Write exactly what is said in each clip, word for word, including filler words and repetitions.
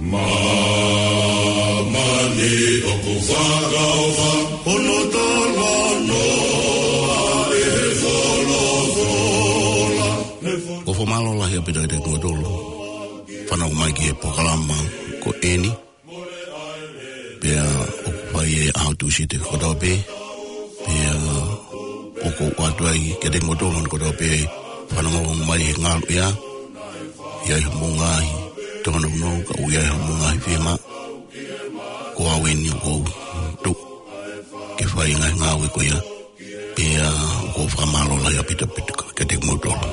Māmani ʻoku fakaʻofa, hono talanoa ʻe he folofola. ʻOku fakamālō lahi ʻaupito kiate kimoutolu fanongo mai ki he polokalama ko eni. Pea ʻoku fai ʻe he ʻaho Tūsite kotoa pē. Pea ʻoku ou ʻoatu ai kiate kimoutolu hono kotoa pē fanongo mai he ngaluʻea. ʻI ai haʻamou ngaahi tōnounou, ka ʻoku ʻi ai haʻamou ngaahi fiemaʻu. Ko au eni ʻoku ou tuʻu ke fai e ngaahi ngāue ko ia. Pea ʻoku ou fakamālō lahi ʻaupito ʻaupito kiate kimoutolu.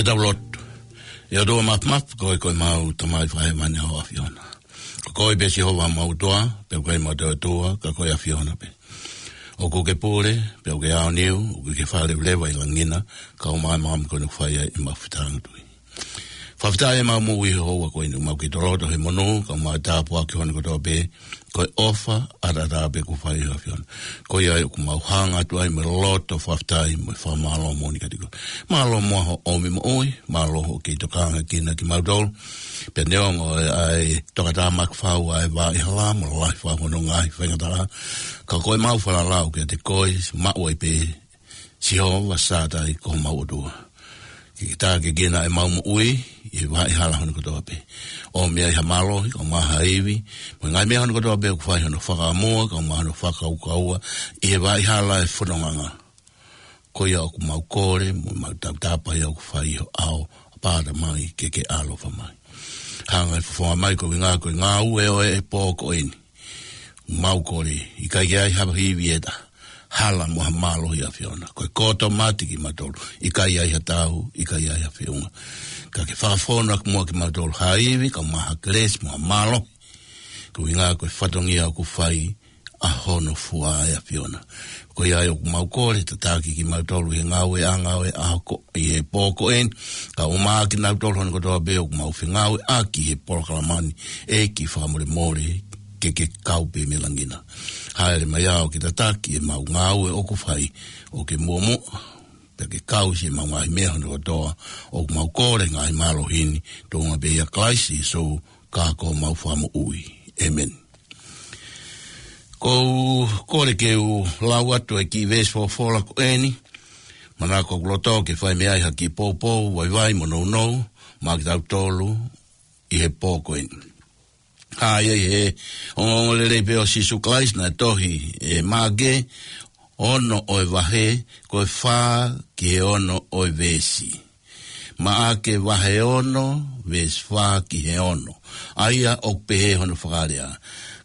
Ke tau lotu. ʻE ʻOtua Mafimafi, ko koe ko ʻemau Tamai Fakahēvani ʻa e ʻAfiona. Ko koe pē Sihova ʻemau ʻOtua, pea ʻoku ʻikai ha ʻotua, ka ko e ʻAfiona pē. ʻOku ke pule, pea ʻoku ke aoniu, ʻoku ke fale leva ʻi langi na, kae ʻumaʻā e māmani ko eni ʻoku fai ai ʻemau fetāngatui. Fakafetaʻi ʻemau moʻui he houa ko eni, ʻoku mau kei toloto he monū, kae ʻumaʻā e tāpuaki hono kotoa pē, ko e ʻofa ʻataʻatā pē kuo fai ʻe he ʻAfiona. Ko ia ai ʻoku mau hanga atu ai mo e loto fakafetaʻi mo e fakamālō moʻoni kiate koe. Mālō muʻa hoʻo ʻomi moʻui, mālō hoʻo kei tokangaʻi kimautolu. Pea neongo ʻa e tokatāmaki fau ʻa e vaʻa hala mo e lahi fau hono ngaahi faingataʻa, ka ko ʻemau falala kiate koe, maʻu ai pē Sihova Sātai ko homau ʻOtua. Ke ke tākiekina ʻemau moʻui ʻi he vaʻa hala hono kotoa pē. ʻOmi ai ha mālohi, kae ʻumaʻā ha ivi, mo e ngaahi meʻa hono kotoa pē ʻoku fai hono fakaʻamua, kae ʻumaʻā hono fakakaukaua, ʻi he vaʻa hala ʻo e fonongaʻanga. Ko ia ʻoku mau kole, mo mau tautapa ia ʻoku fai ʻi ho ʻao, ʻApā Tamai, ke ke ʻaloʻofa mai. Hanga ʻo fofonga mai koeʻuhi ko e ngāue ʻo e pō ko eni. Mau kole, ʻikai ke ʻi ai ha ivi ʻe taha. Hala mo ha mālohi ʻa e ʻAfiona. Ko e koto mati kimautolu. ʻIkai ʻi ai ha tau, ʻikai ʻi ai ha feʻunga. Ka ke fakafonu ʻaki muʻa kimautolu ha ivi, kae ʻumaʻā ha kelesi mo ha mālohi. Koeʻuhi ko e fatongia ʻoku fai ʻa hono fua ʻa e ʻAfiona. Ko ia ai ʻoku mau kole, tataki kimautolu ʻi he ngāueʻanga ʻo e ʻaho ko, ʻi he pō ko eni, kae ʻumaʻā kinautolu hono kotoa pē ʻoku mau fengāueʻaki he polokalama ni, ʻEiki fakamolemole, ke ke kau pē mei langi na. Hāʻele mai ʻo ke tataki ʻemau ngāue ʻoku fai, ʻo ke muʻomuʻa, pea ke kau siʻemau ngaahi meʻa hono kotoa, ʻoku mau kole ngaahi mālohi ni, tuʻunga pē ʻia Kalaisi Sīsū, ka ko homau Fakamoʻui. ʻĒmeni. Ko u kole ke u lau atu e kiʻi veesi folofola ko eni, manako ʻoku loto ke fai mei ai ha kiʻi poupou, vaivai mo nounou, maʻa kitautolu ʻi he pō ko eni. Hā ia ʻi he ongoongolelei pē ʻo Sīsū Kalaisi naʻe tohi ʻe Maʻake, ono ʻo e vahe, ko e fā ki he ono ʻo e veesi. Maʻake vahe ono, veesi fā ki he ono. ʻA ia ʻoku pehē hono fakalea.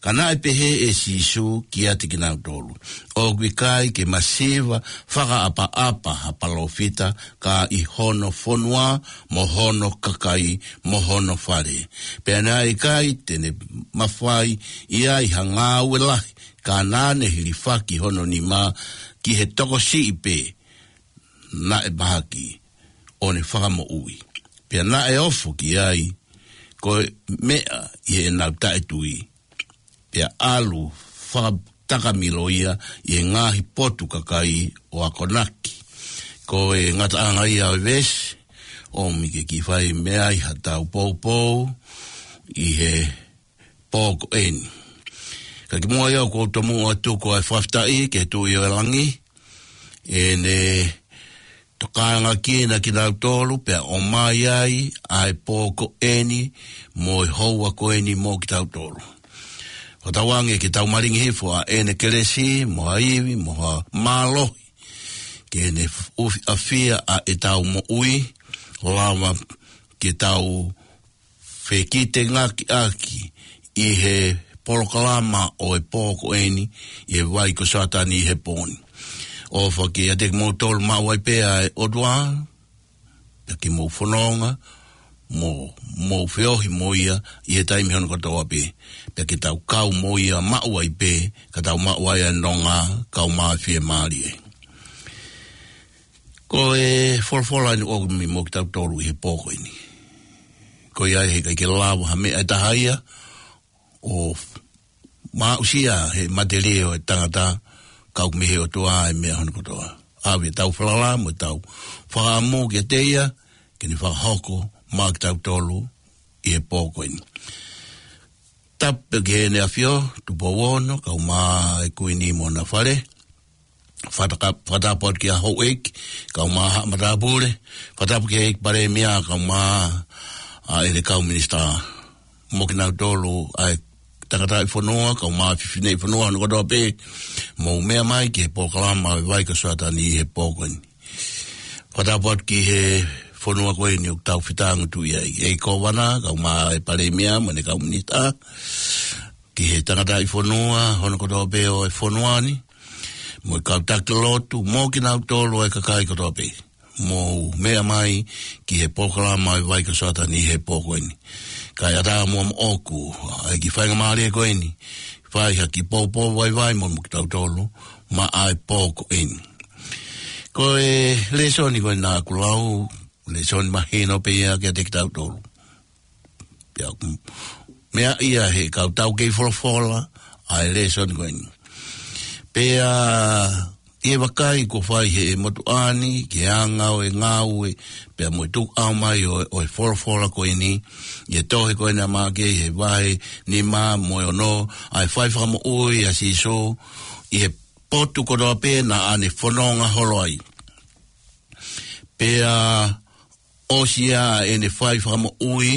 Ka naʻe pehē ʻe Sīsū kiate kinautolu, ʻOku ʻikai ke masiva fakaʻapaʻapa ha palōfita ka ʻi hono fonua, mo hono kakai, mo hono fale. Pea naʻe ʻikai te ne mafai ʻi ai ha ngāue lahi, ka naʻa ne hilifaki hono nima ki he tokosiʻi pē naʻe mahaki, ʻo ne fakamoʻui. Pea naʻe ofo ki ai ko e meʻa ʻi heʻenau taʻetui. Pea ʻalu fakatakamilo ia ʻi he ngaahi potu kakai ʻo akonaki. Ko e ngataʻanga ia ʻo e veesi, ʻomi ke kiʻi fai mei ai ha tau poupou ʻi he pō ko eni. Ka kimuʻa ia ʻoku ou tomuʻa ʻo tuku ʻa e fakafetaʻi ki he Tuʻi ʻo e langi, ʻene tokangaʻi kinautolu pea ʻomai ai ʻa e pō ko eni mo e houa ko eni mo kitautolu. Fakatauange ke tau malingi hifo ʻa ʻene kelesi, mo ha ivi, mo ha mālohi. Ke ne ʻufiʻafia ʻa ʻetau moʻui, ʻo lava ke tau fekitengaki ʻaki ʻi he polokalama ʻo e pō ko eni, ʻi he vai ko Sātani ʻi he pō ni. ʻOfa ke ʻiate kimoutolu maʻu ai pē ʻa e ʻOtua, pea ke mou fononga, mo, mou feohi mo ia, ʻi he taimi hono kotoa pē, pea ke tau kau mo ia maʻu ai pē, ka tau maʻu ai ʻa e nonga, kau mai fiemālie. Ko e folofola eni ʻoku ʻomi mo kitautolu ʻi he pō ko eni. Ko ia ai he ʻikai ke lava ha meʻa ʻe taha ia, ʻo maʻusia he matelie ʻo e tangata, ka ʻoku mei he ʻOtua ʻa e meʻa hono kotoa. ʻAve ʻetau falala mo ʻetau fakaʻamu kiate ia, ke ne fakahoko maʻa kitautolu ʻi he pō ko eni. Tapu ki heʻene ʻAfio, Tupou Ono, kau mai e Kuini mo hona fale. Fakataka-, fakatapu atu kia Houʻeiki, kau mai haʻa matāpule. Fakatapu ki he ʻEiki Palēmia, kau mai ʻa ʻene kau minisitā. Mo kinautolu ʻa e tangataʻi fonua, kau mai fineʻeiki fonua, hono kotoa pē. Mou meʻa mai ki he polokalama ʻo e vai ko Sātani ʻi he pō ko eni. Fakatapu atu ki he fonua ko eni ʻoku tau fetāngatui ai. ʻEiki Kōvana, kau mai e Palēmia, mo ʻene kau minisitā. Ki he tangataʻi fonua, hono kotoa pē ʻo e fonua ni. Mo e kau taki lotu, mo kinautolu ʻa e kakai kotoa pē. mou meʻa mai ki he polokalama ʻo e Vai ko Sātani he pō ko eni. Kae ʻatā muʻa moʻoku ʻa e kiʻi faingamālie ko eni, fai ha kiʻi poupou vaivai mo kitautolu maʻa e pō ko eni. Ko e lēsoni ko ena ʻoku lau, lēsoni mahino pē ia kiate kitautolu. Pea ʻoku meaʻi ia he kau taukei folofola ʻa e lēsoni ko eni. Pea ʻi he vakai kuo fai he motuʻa ni ki he anga ʻo e ngāue, pea mo e tukuʻau mai ʻo, ʻo e folofola ko eni, ʻi he tohi ko ena ʻa Maʻake ʻi he vahe nima mo e ono, ʻa e fai fakamoʻui ʻa Sīsū ʻi he potu kotoa pē naʻa ne fononga holo ai. Pea ʻosi ia ʻene fai fakamoʻui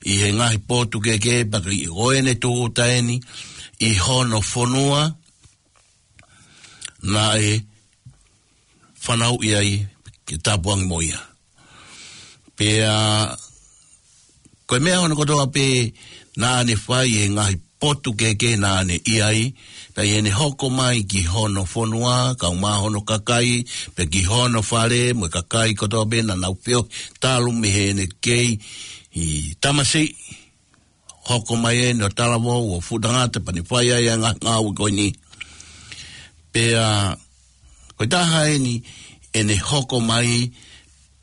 ʻi he ngaahi potu kehekehe, pea ko ʻene tūʻuta eni ʻi hono fonua naʻe fanauʻi ai ke tāpuaki mo ia. Pea ko e meʻa hono kotoa pē naʻa ne fai ʻi he ngaahi potu kehekehe naʻa ne ʻi ai, pea ʻi heʻene hoko mai ki hono fonua, kae ʻumaʻā hono kakai, pea ki hono fale, mo e kakai kotoa pē naʻa nau feohi talu mei heʻene kei tamasiʻi, hoko mai eni ʻo talavou ʻo fuʻu tangata pea ne fai ai ʻa e ngaahi ngāue ko eni. Pea ko e taha eni ʻene hoko mai,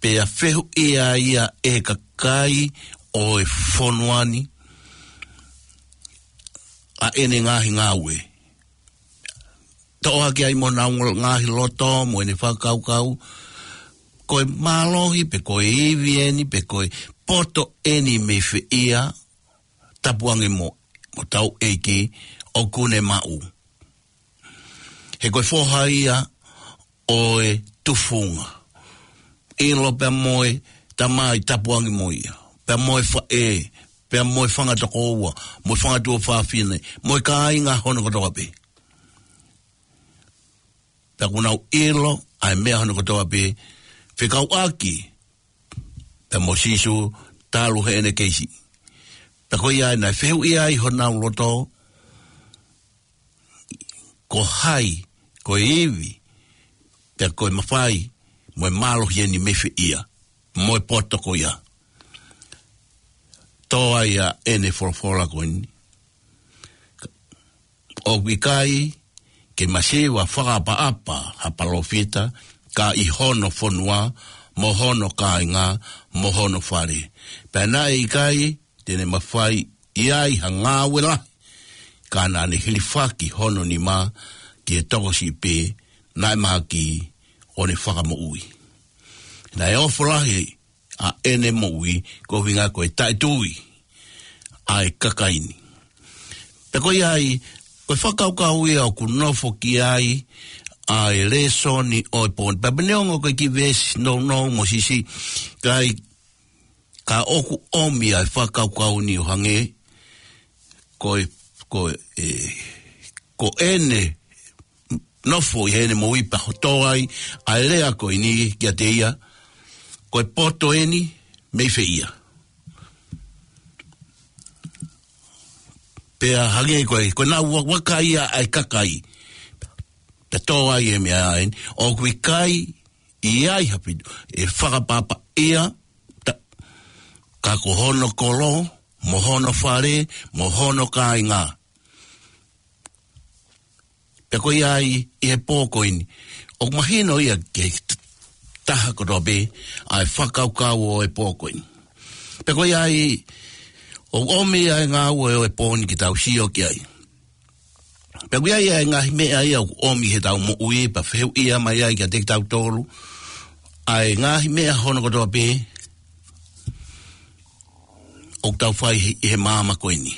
pea fehuʻia ia ʻe he kakai ʻo e fonua ni ʻa ʻene ngaahi ngāue. Toʻo hake ai mo honau ngaahi loto mo ʻene fakakaukau, ko e mālohi pe ko e ivi eni pe ko e poto eni mei fē ia, tapu ange mo, mo hotau ʻEiki ʻoku ne maʻu. He ko e foha ia ʻo e tufunga. ʻIlo pea mo e tamai, tapu ange mo ia. Pea mo e faʻē, pea mo e fanga tokoua, mo e fanga tuofāfine, mo e kāinga hono kotoa pē. Pea kuo nau ʻilo ʻa e meʻa hono kotoa pē fekauʻaki pea mo Sīsū talu heʻene kei siʻi. Pea ko ia ai naʻe fehuʻia ai honau loto, ko hai, ko e ivi, pea ko e mafai, mo e mālohi eni mei fē ia, mo e poto ko ia. Tō ai ʻa ʻene folofola ko eni. ʻOku ʻikai ke masiva fakaʻapaʻapa ha palōfita, ka ʻi hono fonua, mo hono kāinga, mo hono fale. Pea naʻe ʻikai te ne mafai ʻi ai ha ngāue lahi, ka naʻa ne hilifaki hono nima ki he tokosiʻi pē naʻe mahaki ʻo ne fakamoʻui. Naʻe ofo lahi ʻa ʻene moʻui koeʻuhinga ko e taʻetui ʻa e kakai ni. Pea ko ia ai, ko e fakakaukau ia ʻoku nofo ki ai ʻa e lēsoni ʻo e pō ni. Pea neongo ko e kiʻi veesi nounou mo siʻisiʻi, ka ʻi, ka ʻoku ʻomi ʻa e fakakaukau ni ʻo hangē ko e, ko e, ko ʻene nofo ʻi heʻene moʻui pea tō ai ʻa e lea ko eni kiate ia, ko e poto eni mei fē ia. Pea hangē ko e, ko ʻenau ua-, vakai ʻa e kakai. Pea tō ai e meʻa eni, ʻoku ʻikai ʻi ai ha fitu, ʻe fakaʻapaʻapa ia, ta-, ka ko hono kolo, mo hono fale, mo hono kāinga. Pea ko ia ai ʻi he pō ko eni, ʻoku mahino ia ki he t-, taha kotoa pē ʻa e fakakaukau ʻo e pō ko eni. Pea ko ia ai, ʻoku ʻomi ʻa e ngāue ʻo e pō ni ke tau sio ki ai. Pea ko ia ai ʻa e ngaahi meʻa ia ʻoku ʻomi heʻetau moʻui, pea fehuʻia mai ai kiate kitautolu ʻa e ngaahi meʻa hono kotoa pē ʻoku tau fai he, he māmani ko eni.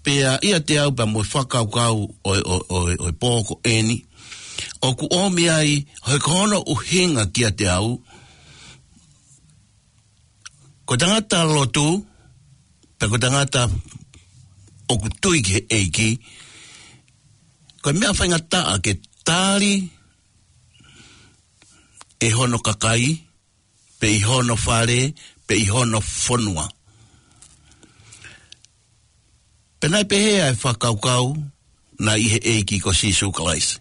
Pea ʻiate au pea mo e fakakaukau ʻo e, ʻo e, ʻo e, ʻo e pō ko eni, ʻoku ʻomi ai, he ko hono ʻuhinga kiate au, ko e tangata lotu, pea ko e tangata ʻoku tui ki he ʻEiki, ko e meʻa faingataʻa ke tali ʻe hono kakai, pe ʻi hono fale, pe ʻi hono fonua. Pea naʻe pehē ʻa e fakakaukau naʻe ʻi he ʻEiki ko Sīsū Kalaisi.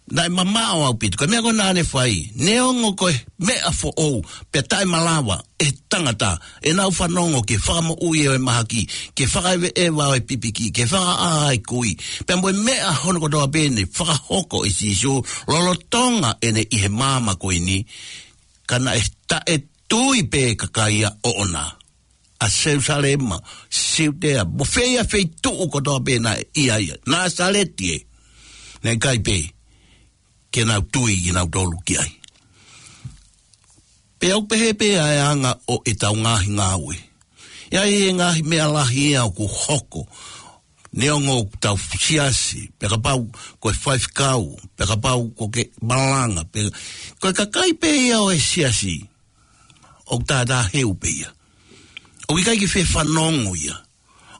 naʻe mamaʻo ʻaupito, ko e meʻa ko ē naʻa ne fai, neongo ko e meʻa foʻou, pea taʻemalava ʻe he tangata ʻenau fanongo ki he fakamoʻui ʻo e mahaki, ki he fakaʻeveʻeva ʻo e pipiki, ki he fakaʻā ʻa e kui, pea mo e meʻa hono kotoa pē ne fakahoko ʻe Sīsū lolotonga ʻene ʻi he maama ko eni, ka naʻe taʻetui pē kakai ʻoʻona. ʻA Selusalema, Siutea, mo fē ia feituʻu kotoa pē naʻe ʻi ai ia. Nāsaleti ē. Naʻe ʻikai pē ke nau tui kinautolu ki ai. Pea ʻoku pehē pē ʻa e anga ʻo ʻetau ngaahi ngāue. ʻI ai e ngaahi meʻa lahi ia ʻoku hoko. Neongo ʻoku tau siasi, pea kapau ko e faifekau, pea kapau ko e kau malanga, pea ko e kakai pē ia ʻo e siasi, ʻoku tātāheu pē ia. ʻOku ʻikai ke fie fanongo ia.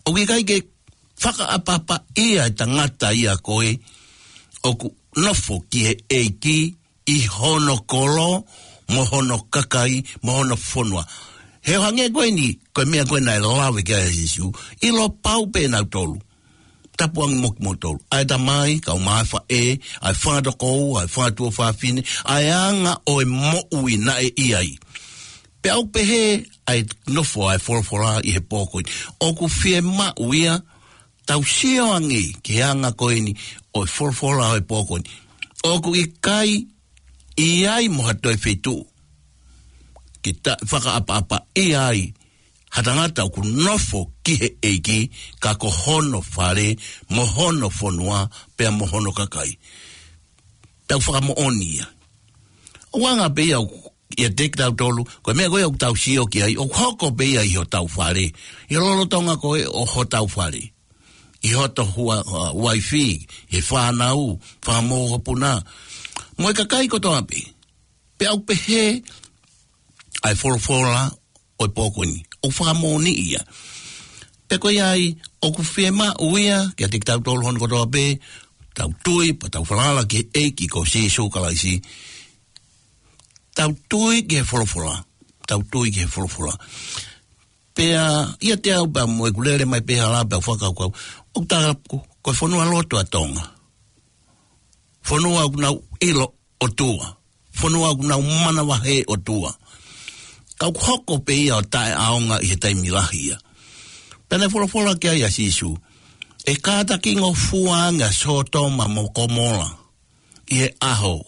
ʻOku ʻikai ke fakaʻapaʻapaʻia e tangata ia ko ē ʻoku nofo ki he ʻEiki ʻi hono kolo, mo hono kakai, mo hono fonua. He ʻo hangē ko eni, ko e meʻa ko ē naʻe lave ki ai ʻa Sīsū, ʻilo pau pē nautolu. Tapu ange mo kimoutolu. ʻA e tamai, kau mai faʻē, ʻa e fanga tokoua, ʻa e fanga tuofāfine, ʻa e anga ʻo e moʻui naʻe ʻi ai. Pea ʻoku pehē ʻa e nofo ʻa e folofola ʻi he pō ko eni. ʻOku fiemaʻu ia, tau sio ange ki he anga ko eni ʻo e folofola ʻo e pō ko eni. ʻOku ʻikai ʻi ai mo ha toe feituʻu ke ta-, fakaʻapaʻapaʻia ai ha tangata ʻoku nofo ki he ʻEiki, ka ko hono fale, mo hono fonua, pea mo hono kakai. Tau fakamoʻoni ia. ʻOku anga pē ia ʻoku ʻiate kitautolu, ko e meʻa ko ē ʻoku tau sio ki ai, ʻoku hoko pē ia ʻi hotau fale. ʻI he lolotonga ko ē ʻo hotau fale. ʻI hoto hua-, ua-, uaifi, he fānau, fakamokopuna. Mo e kakai kotoa pē. Pea ʻoku pehē ʻa e folofola ʻo e pō ko eni. ʻOku fakamoʻoni ia. Pea ko ia ai, ʻoku fiemaʻu ia, kiate kitautolu hono kotoa pē, tau tui, pea tau falala ki he ʻEiki ko Sīsū Kalaisi. Tau tui ki he folofola. Tau tui ki he folofola. Pea, ʻiate au pea mo ʻeku lele mai pē hala pea fakakaukau. ʻOku tā ko, ko e fonua lotu ʻa Tonga. Fonua ʻoku nau ʻilo ʻOtua. Fonua ʻoku nau manavahē ʻOtua. Ka ʻoku hoko pē ia ʻo taʻeʻaonga ʻi he taimi lahi ia. Pea naʻe folofola ki ai ʻa Sīsū. ʻE kātakingofua ange ʻa Sōtoma mo Komola. ʻI he ʻaho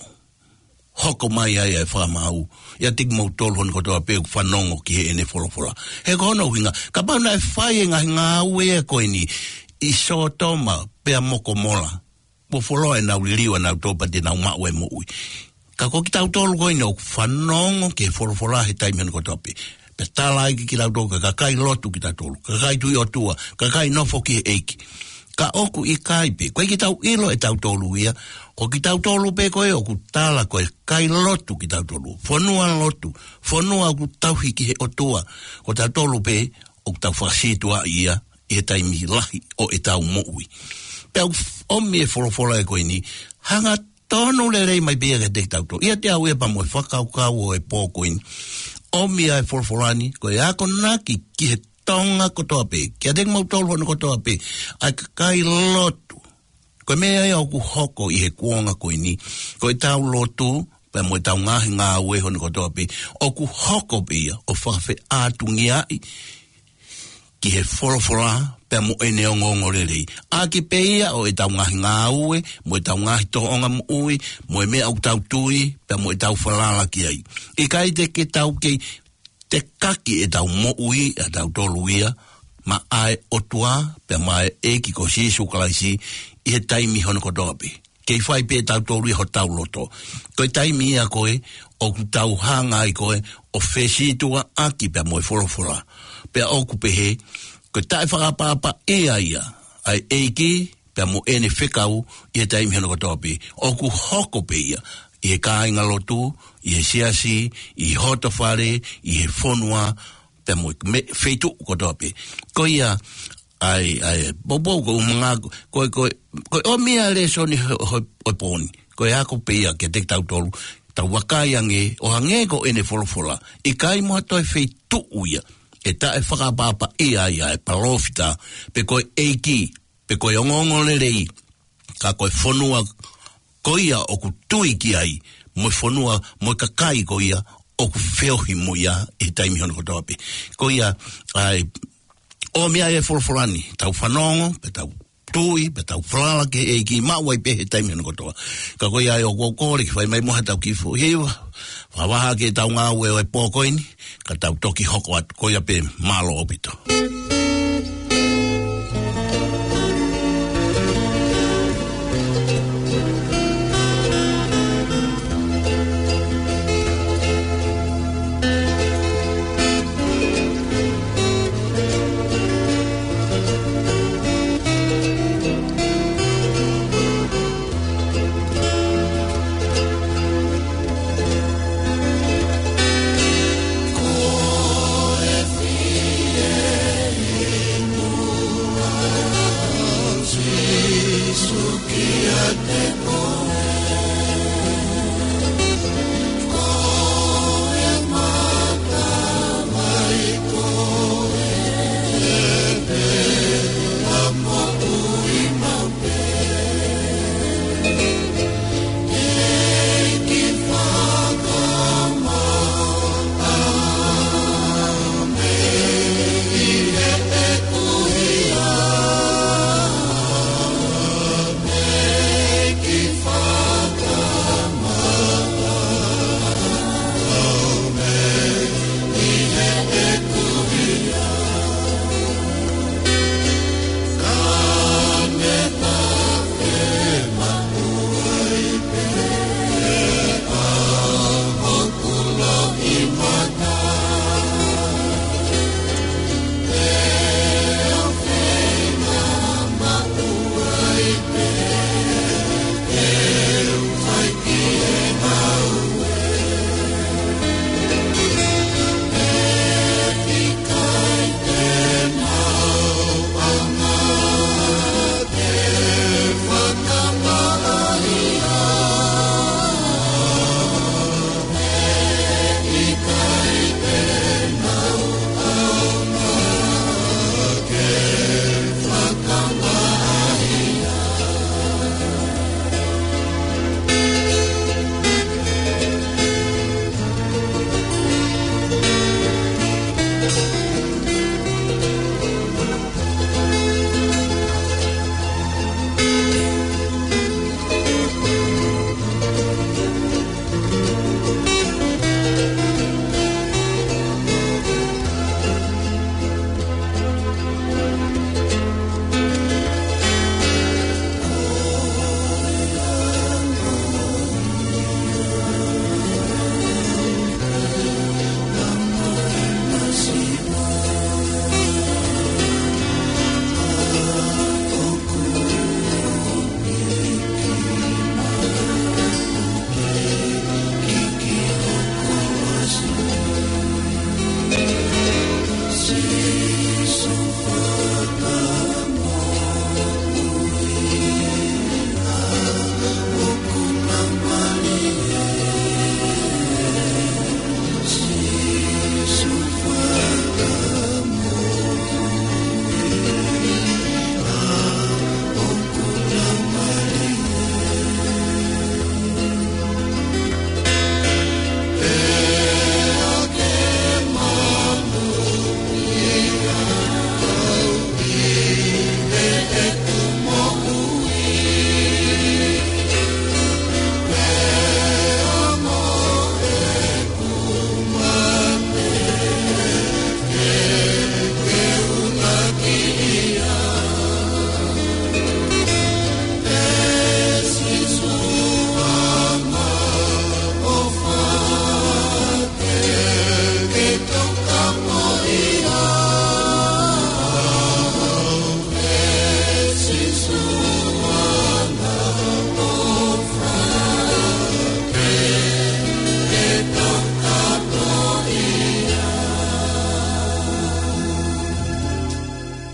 hoko mai ai ʻa e fakamaau, ʻiate kimoutolu hono kotoa pē ʻoku fanongo ki heʻene folofola. He ko hono ʻuhinga, kapau naʻe fai e ngaahi ngāue ko eni ʻi Sōtoma pea mo Komola, mo foloa ʻenau liliu ʻa nautolu pea te nau maʻu e moʻui. Ka ko kitautolu ko eni ʻoku fanongo ki he folofola he taimi hono kotoa pē. Pea tala ai kiate kitautolu ko e kakai lotu kitautolu, kakai tui ʻOtua, kakai nofo ki he ʻEiki. Ka ʻoku ʻikai pē, ko e ʻikai ke tau ʻilo ʻe tautolu ia, ko kitautolu pē ko ē ʻoku tala ko e kakai lotu kitautolu, fonua lotu, fonua ʻoku tauhi ki he ʻOtua, ko tautolu pē ʻoku tau fakasītuʻaʻi ia ʻi he taimi lahi ʻo ʻetau moʻui. Pea ʻoku ʻomi e folofola ē ko eni, hanga tonu lelei mai pē ia kiate kitautolu. ʻIate au ia pea mo e fakakaukau ʻo e pō ko eni. ʻOmi ʻa e folofola ni, ko e akonaki ki he Tonga kotoa pē, kiate kimoutolu hono kotoa pē, ʻa e kakai lotu. Ko e meʻa ia ʻoku hoko ʻi he kuonga ko eni, ko ʻetau lotu, pea mo ʻetau ngaahi ngāue hono kotoa pē, ʻoku hoko pē ia ʻo fakafeʻātungiaʻi ki he folofola pea mo ʻene ongoongolelei. ʻAki pē ia ʻo ʻetau ngaahi ngāue, mo ʻetau ngaahi tōʻonga moʻui, mo e meʻa ʻoku tau tui, pea mo ʻetau falala ki ai. ʻIkai te ke tau kei tekaki ʻetau moʻui ʻatautolu ia maʻa e ʻOtua, pea maʻa e ʻEiki ko Sīsū Kalaisi ʻi he taimi hono kotoa pē. Kei fai pē ʻe tautolu ia hotau loto. Ko e taimi ia ko ē, ʻoku tau hanga ai ko ē, ʻo fesītuʻaʻaki pea mo e folofola. Pea ʻoku pehē, ko e taʻefakaʻapaʻapaʻia ia ʻa e ʻEiki, pea mo ʻene fekau ʻi he taimi hono kotoa pē. ʻOku hoko pē ia, ʻi he kāinga lotu, ʻi he siasi, ʻi hoto fale, ʻi he fonua, pea mo e me-, feituʻu kotoa pē. Ko ia, ʻai, ʻai, poupou ko umanga, ko, ko, ko e ʻomi ʻa e lēsoni ho, ho, ʻo e pō ni. Ko e ako pē ia kiate kitautolu, tau vakai ange, ʻo hangē ko ʻene folofola. ʻIkai mo ha toe feituʻu ia, ʻe taʻefakaʻapaʻapaʻia ai ʻa e palōfita, pe ko e ʻEiki, pe ko e ongoongolelei, ka ko e fonua ko ia ʻoku tui ki ai, mo e fonua, mo e kakai ko ia ʻoku feohi mo ia ʻi he taimi hono kotoa pē. Ko ia, ʻa e ʻomi ʻa e folofola ni, tau fanongo, pea tau tui, pea tau falala ki he ʻEiki, maʻu ai pē he taimi hono kotoa. Ka ko ia ʻoku ou kole ke fai mai muʻa haʻatau kiʻi foʻi hiva, fakavaha ki heʻetau ngāue ʻo e pō ko eni, ka tau toki hoko atu. Ko ia pē, mālō ʻaupito.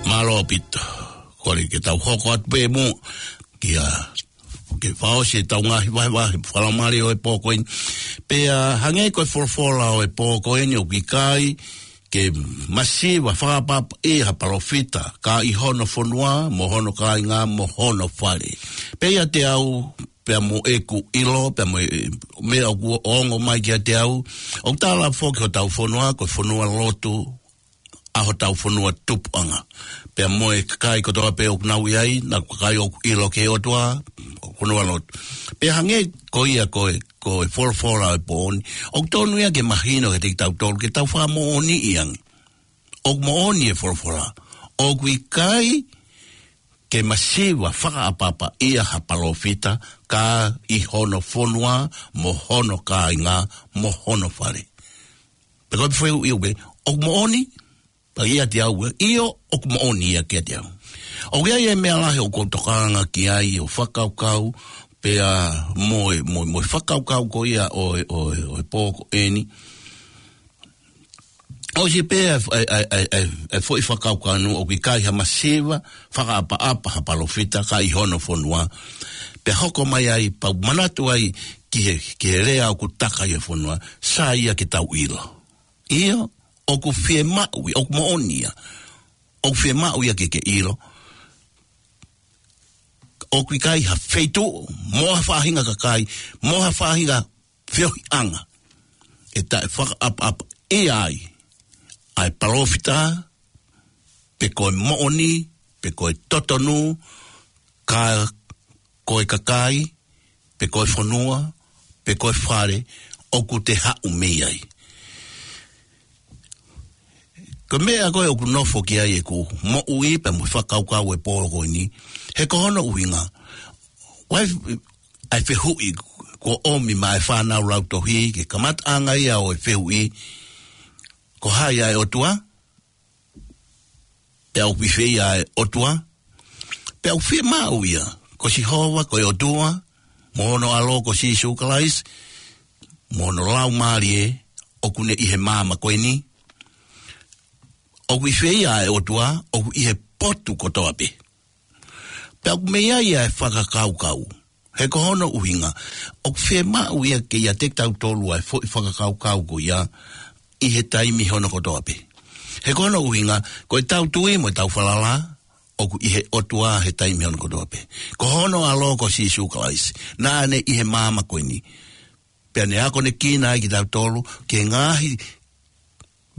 Mālō ʻaupito. Kole ke tau hoko atu pē muʻa kia, ke fakaʻosi ʻetau ngaahi vahevahe fakalaumālie ʻo e pō ko eni. Pea hangē ko e folofola ʻo e pō ko eni, ʻoku ʻikai ke masiva fakaʻapaʻapaʻi ha palōfita, ka ʻi hono fonua, mo hono kāinga, mo hono fale. Pea ʻiate au, pea mo ʻeku ʻilo, pea mo e meʻa ʻoku ongo mai kiate au. ʻOku tala foki hotau fonua, ko e fonua lotu ʻa hotau fonua tupuʻanga. Pea mo e kakai kotoa pē ʻoku nau ʻi ai, naʻa ko e kakai ʻoku ʻilo ki he ʻOtua, fonua lotu. Pea hangē ko ia ko e, ko e folofola ʻo e pō ni, ʻoku tonu ia ke mahino kiate kitautolu, ke tau fakamoʻoniʻi ange. ʻOku moʻoni e folofola. ʻOku ʻikai ke masiva fakaʻapaʻapaʻia ha palōfita ka ʻi hono fonua, mo hono kāinga, mo hono fale. Pea ko e fehuʻi ʻoku pehē, ʻoku moʻoni? Pea ʻiate au ē, ʻio, ʻoku moʻoni ia kiate au. ʻOku ʻi ai e meʻa lahi ʻoku ou tokanga ki ai ʻo fakakaukau, pea mo e, mo e, mo e fakakaukau ko ia ʻo e, ʻo e, ʻo e pō ko eni. ʻOsi pē e, e, e, e, e foʻi fakakaukau ʻoku ʻikai ha masiva fakaʻapaʻapa ha palōfita ka ʻi hono fonua. Pea hoko mai ai, pea u manatu ai ki he, ki he lea ʻoku taka ʻi he fonua, sai ia ke tau ʻilo. ʻIo, ʻoku fiemaʻu ia, ʻoku moʻoni ia. ʻOku fiemaʻu ia ke ke ʻilo. ʻOku ʻikai ha feituʻu, mo ha faʻahinga kakai, mo ha faʻahinga feohiʻanga ʻe taʻe fakaʻapaʻapaʻia ai ʻa e palōfita, pe ko e moʻoni, pe ko e totonu, ka ko e kakai, pe ko e fonua, pe ko e fale ʻoku te haʻu mei ai. Ko e meʻa ko ē ʻoku nofo ki ai ʻeku moʻui pea mo e fakakaukau e pō ko eni, he ko hono ʻuhinga, ʻoku ʻi ai e fehuʻi kuo ʻomi maʻa e fānau lautohi, ko e kamataʻanga ia ʻo e fehuʻi, ko hai ʻa e ʻOtua? Pea ʻoku ʻi fē ia ʻa e ʻOtua? Pea ʻoku fiemaʻu ia, ko Sihova, ko e ʻOtua, mo hono ʻAlo ko Sīsū Kalaisi, mo hono Laumālie, ʻoku ne ʻi he māmani ko eni. ʻOku ʻi fē ia ʻa e ʻOtua? ʻOku ʻi he potu kotoa pē. Pea ʻoku mei ai ʻa e fakakaukau. He ko hono ʻuhinga, ʻoku fiemaʻu ia ke ʻiate kitautolu ʻa e foʻi fakakaukau ko ia ʻi he taimi hono kotoa pē. He ko hono ʻuhinga, ko ʻetau tui mo ʻetau falala, ʻoku ʻi he ʻOtua he taimi hono kotoa pē. Ko hono ʻAlo ko Sīsū Kalaisi, naʻa ne ʻi he māmani ko eni. Pea ne akonekina ai kitautolu ki he ngaahi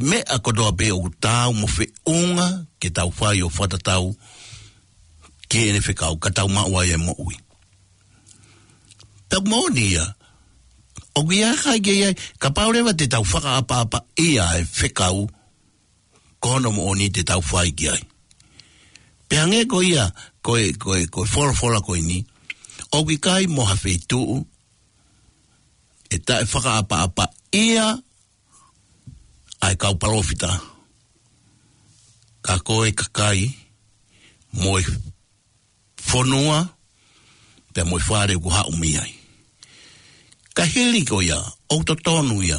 meʻa kotoa pē ʻoku taau mo feʻunga ke tau fai ʻo fakatatau ki heʻene fekau, ka tau maʻu ai e moʻui. Pea ʻoku moʻoni ia, ʻoku ʻikai ke ʻi ai, kapau leva te tau fakaʻapaʻapaʻia e fekau, ko hono moʻoni te tau fai ki ai. Pea hangē ko ia, ko e, ko e, ko e folofola ko eni, ʻoku ʻikai mo ha feituʻu ʻe taʻe fakaʻapaʻapaʻia ʻa e kau palōfita, ka ko e kakai, mo e fonua, pea mo e fale ʻoku haʻu mei ai. Ka hili ko ia, ʻoku totonu ia,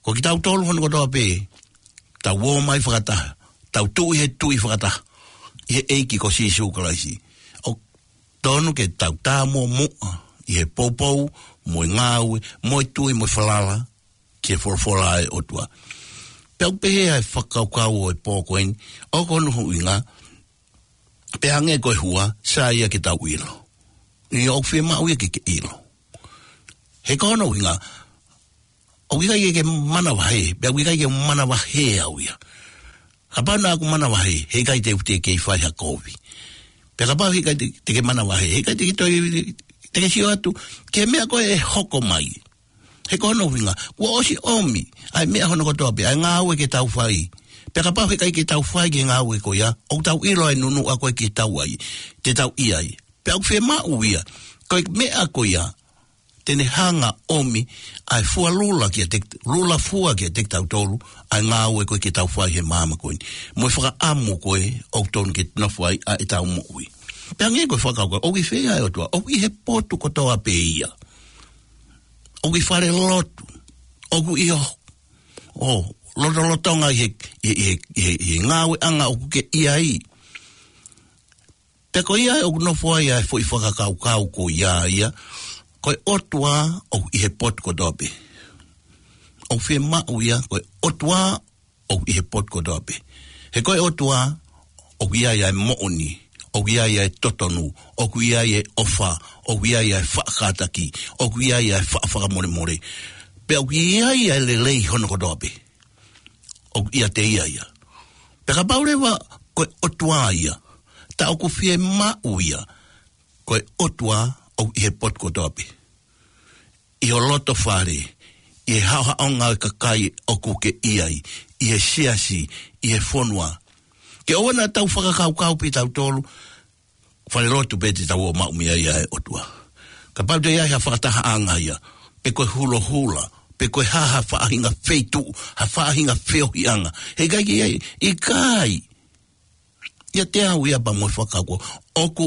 ko kitautolu hono kotoa pē, tau ō mai fakataha, tau tuʻu ʻi he tui fakataha ʻi he ʻEiki ko Sīsū Kalaisi. ʻOku tonu ke tau tā muʻa muʻa ʻi he poupou, mo e ngāue, mo e tui, mo e falala ki he folofola ʻa e ʻOtua. Pea ʻoku pehē ʻa e fakakaukau ʻo e pō ko eni, ʻoku hono ʻuhinga, pea hangē ko e hua, sai ia ke tau ʻilo. ʻIo, ʻoku fiemaʻu ia ke ke ʻilo. He ko hono ʻuhinga, ʻoku ʻikai ke ke manavahē, pea ʻoku ʻikai ke manavahē au ia. Kapau naʻa ku manavahē, heʻikai te u teʻeki fai ha kovi. Pea kapau heʻikai te, te ke manavahē, heʻikai te ke toe, te ke sio atu ki he meʻa ko ē ʻe hoko mai. He ko hono ʻuhinga, kuo ʻosi ʻomi ʻa e meʻa hono kotoa pē, ʻa e ngāue ke tau fai. Pea kapau heʻikai ke tau fai ki he ngāue ko ia, ʻoku tau ʻilo ʻa e nunuʻa ko ē ke tau ʻi ai, te tau ʻi ai. Pea ʻoku fiemaʻu ia, ko e meʻa ko ia, te ne hanga ʻo ʻomi ʻa e fua lula kiate, lula fua kiate kitautolu, ʻa e ngāue ko ē ke tau fai he māmani ko eni. Mo e fakaʻamu ko ē ʻoku tonu ke nofo ai ʻa ʻetau moʻui. Pea hangē ko e fakakaukau, ʻoku ʻi fē ʻa e ʻOtua? ʻOku ʻi he potu kotoa pē ia. ʻOku ʻi fale lotu. ʻOku ʻi ho, ʻo lotolotonga ʻi he, ʻi he, ʻi he, ʻi he, ʻi he ngāueʻanga ʻoku ke ʻi ai. Pea ko ia ʻoku nofo ai ʻa e foʻi fakakaukau ko ia ia, ko e ʻOtua ʻoku ʻi he potu kotoa pē. ʻOku fiemaʻu ia, ko e ʻOtua ʻoku ʻi he potu kotoa pē. He ko e ʻOtua ʻoku ʻi ai ʻa e moʻoni, ʻoku ʻi ai ʻa e totonu, ʻoku ʻi ai ʻa e ʻofa, ʻoku ʻi ai ʻa e faʻa kātaki, ʻoku ʻi ai ʻa e faʻa fakamolemole. Pea ʻoku ʻi ai ʻa e lelei hono kotoa pē. ʻOku ʻiate ia ia. Pea kapau leva ko e ʻOtua ia, tā ʻoku fiemaʻu ia, ko e ʻOtua ʻoku ʻi he potu kotoa pē. ʻI ho loto fale, ʻi he haʻohaʻonga ʻo e kakai ʻoku ke ʻi ai, ʻi he siasi, ʻi he fonua. Ke ʻoua naʻa tau fakakaukau pē tautolu, fale lotu pē te tau ō maʻu mei ai ʻa e ʻOtua. Kapau te ʻi ai ha fakatahaʻanga ia, pe ko e hulohula, pe ko e hā ha faʻahinga feituʻu, ha faʻahinga feohiʻanga. He ʻikai ke ʻi ai, ʻikai. ʻIate au ia pea mo e fakakaukau. ʻOku,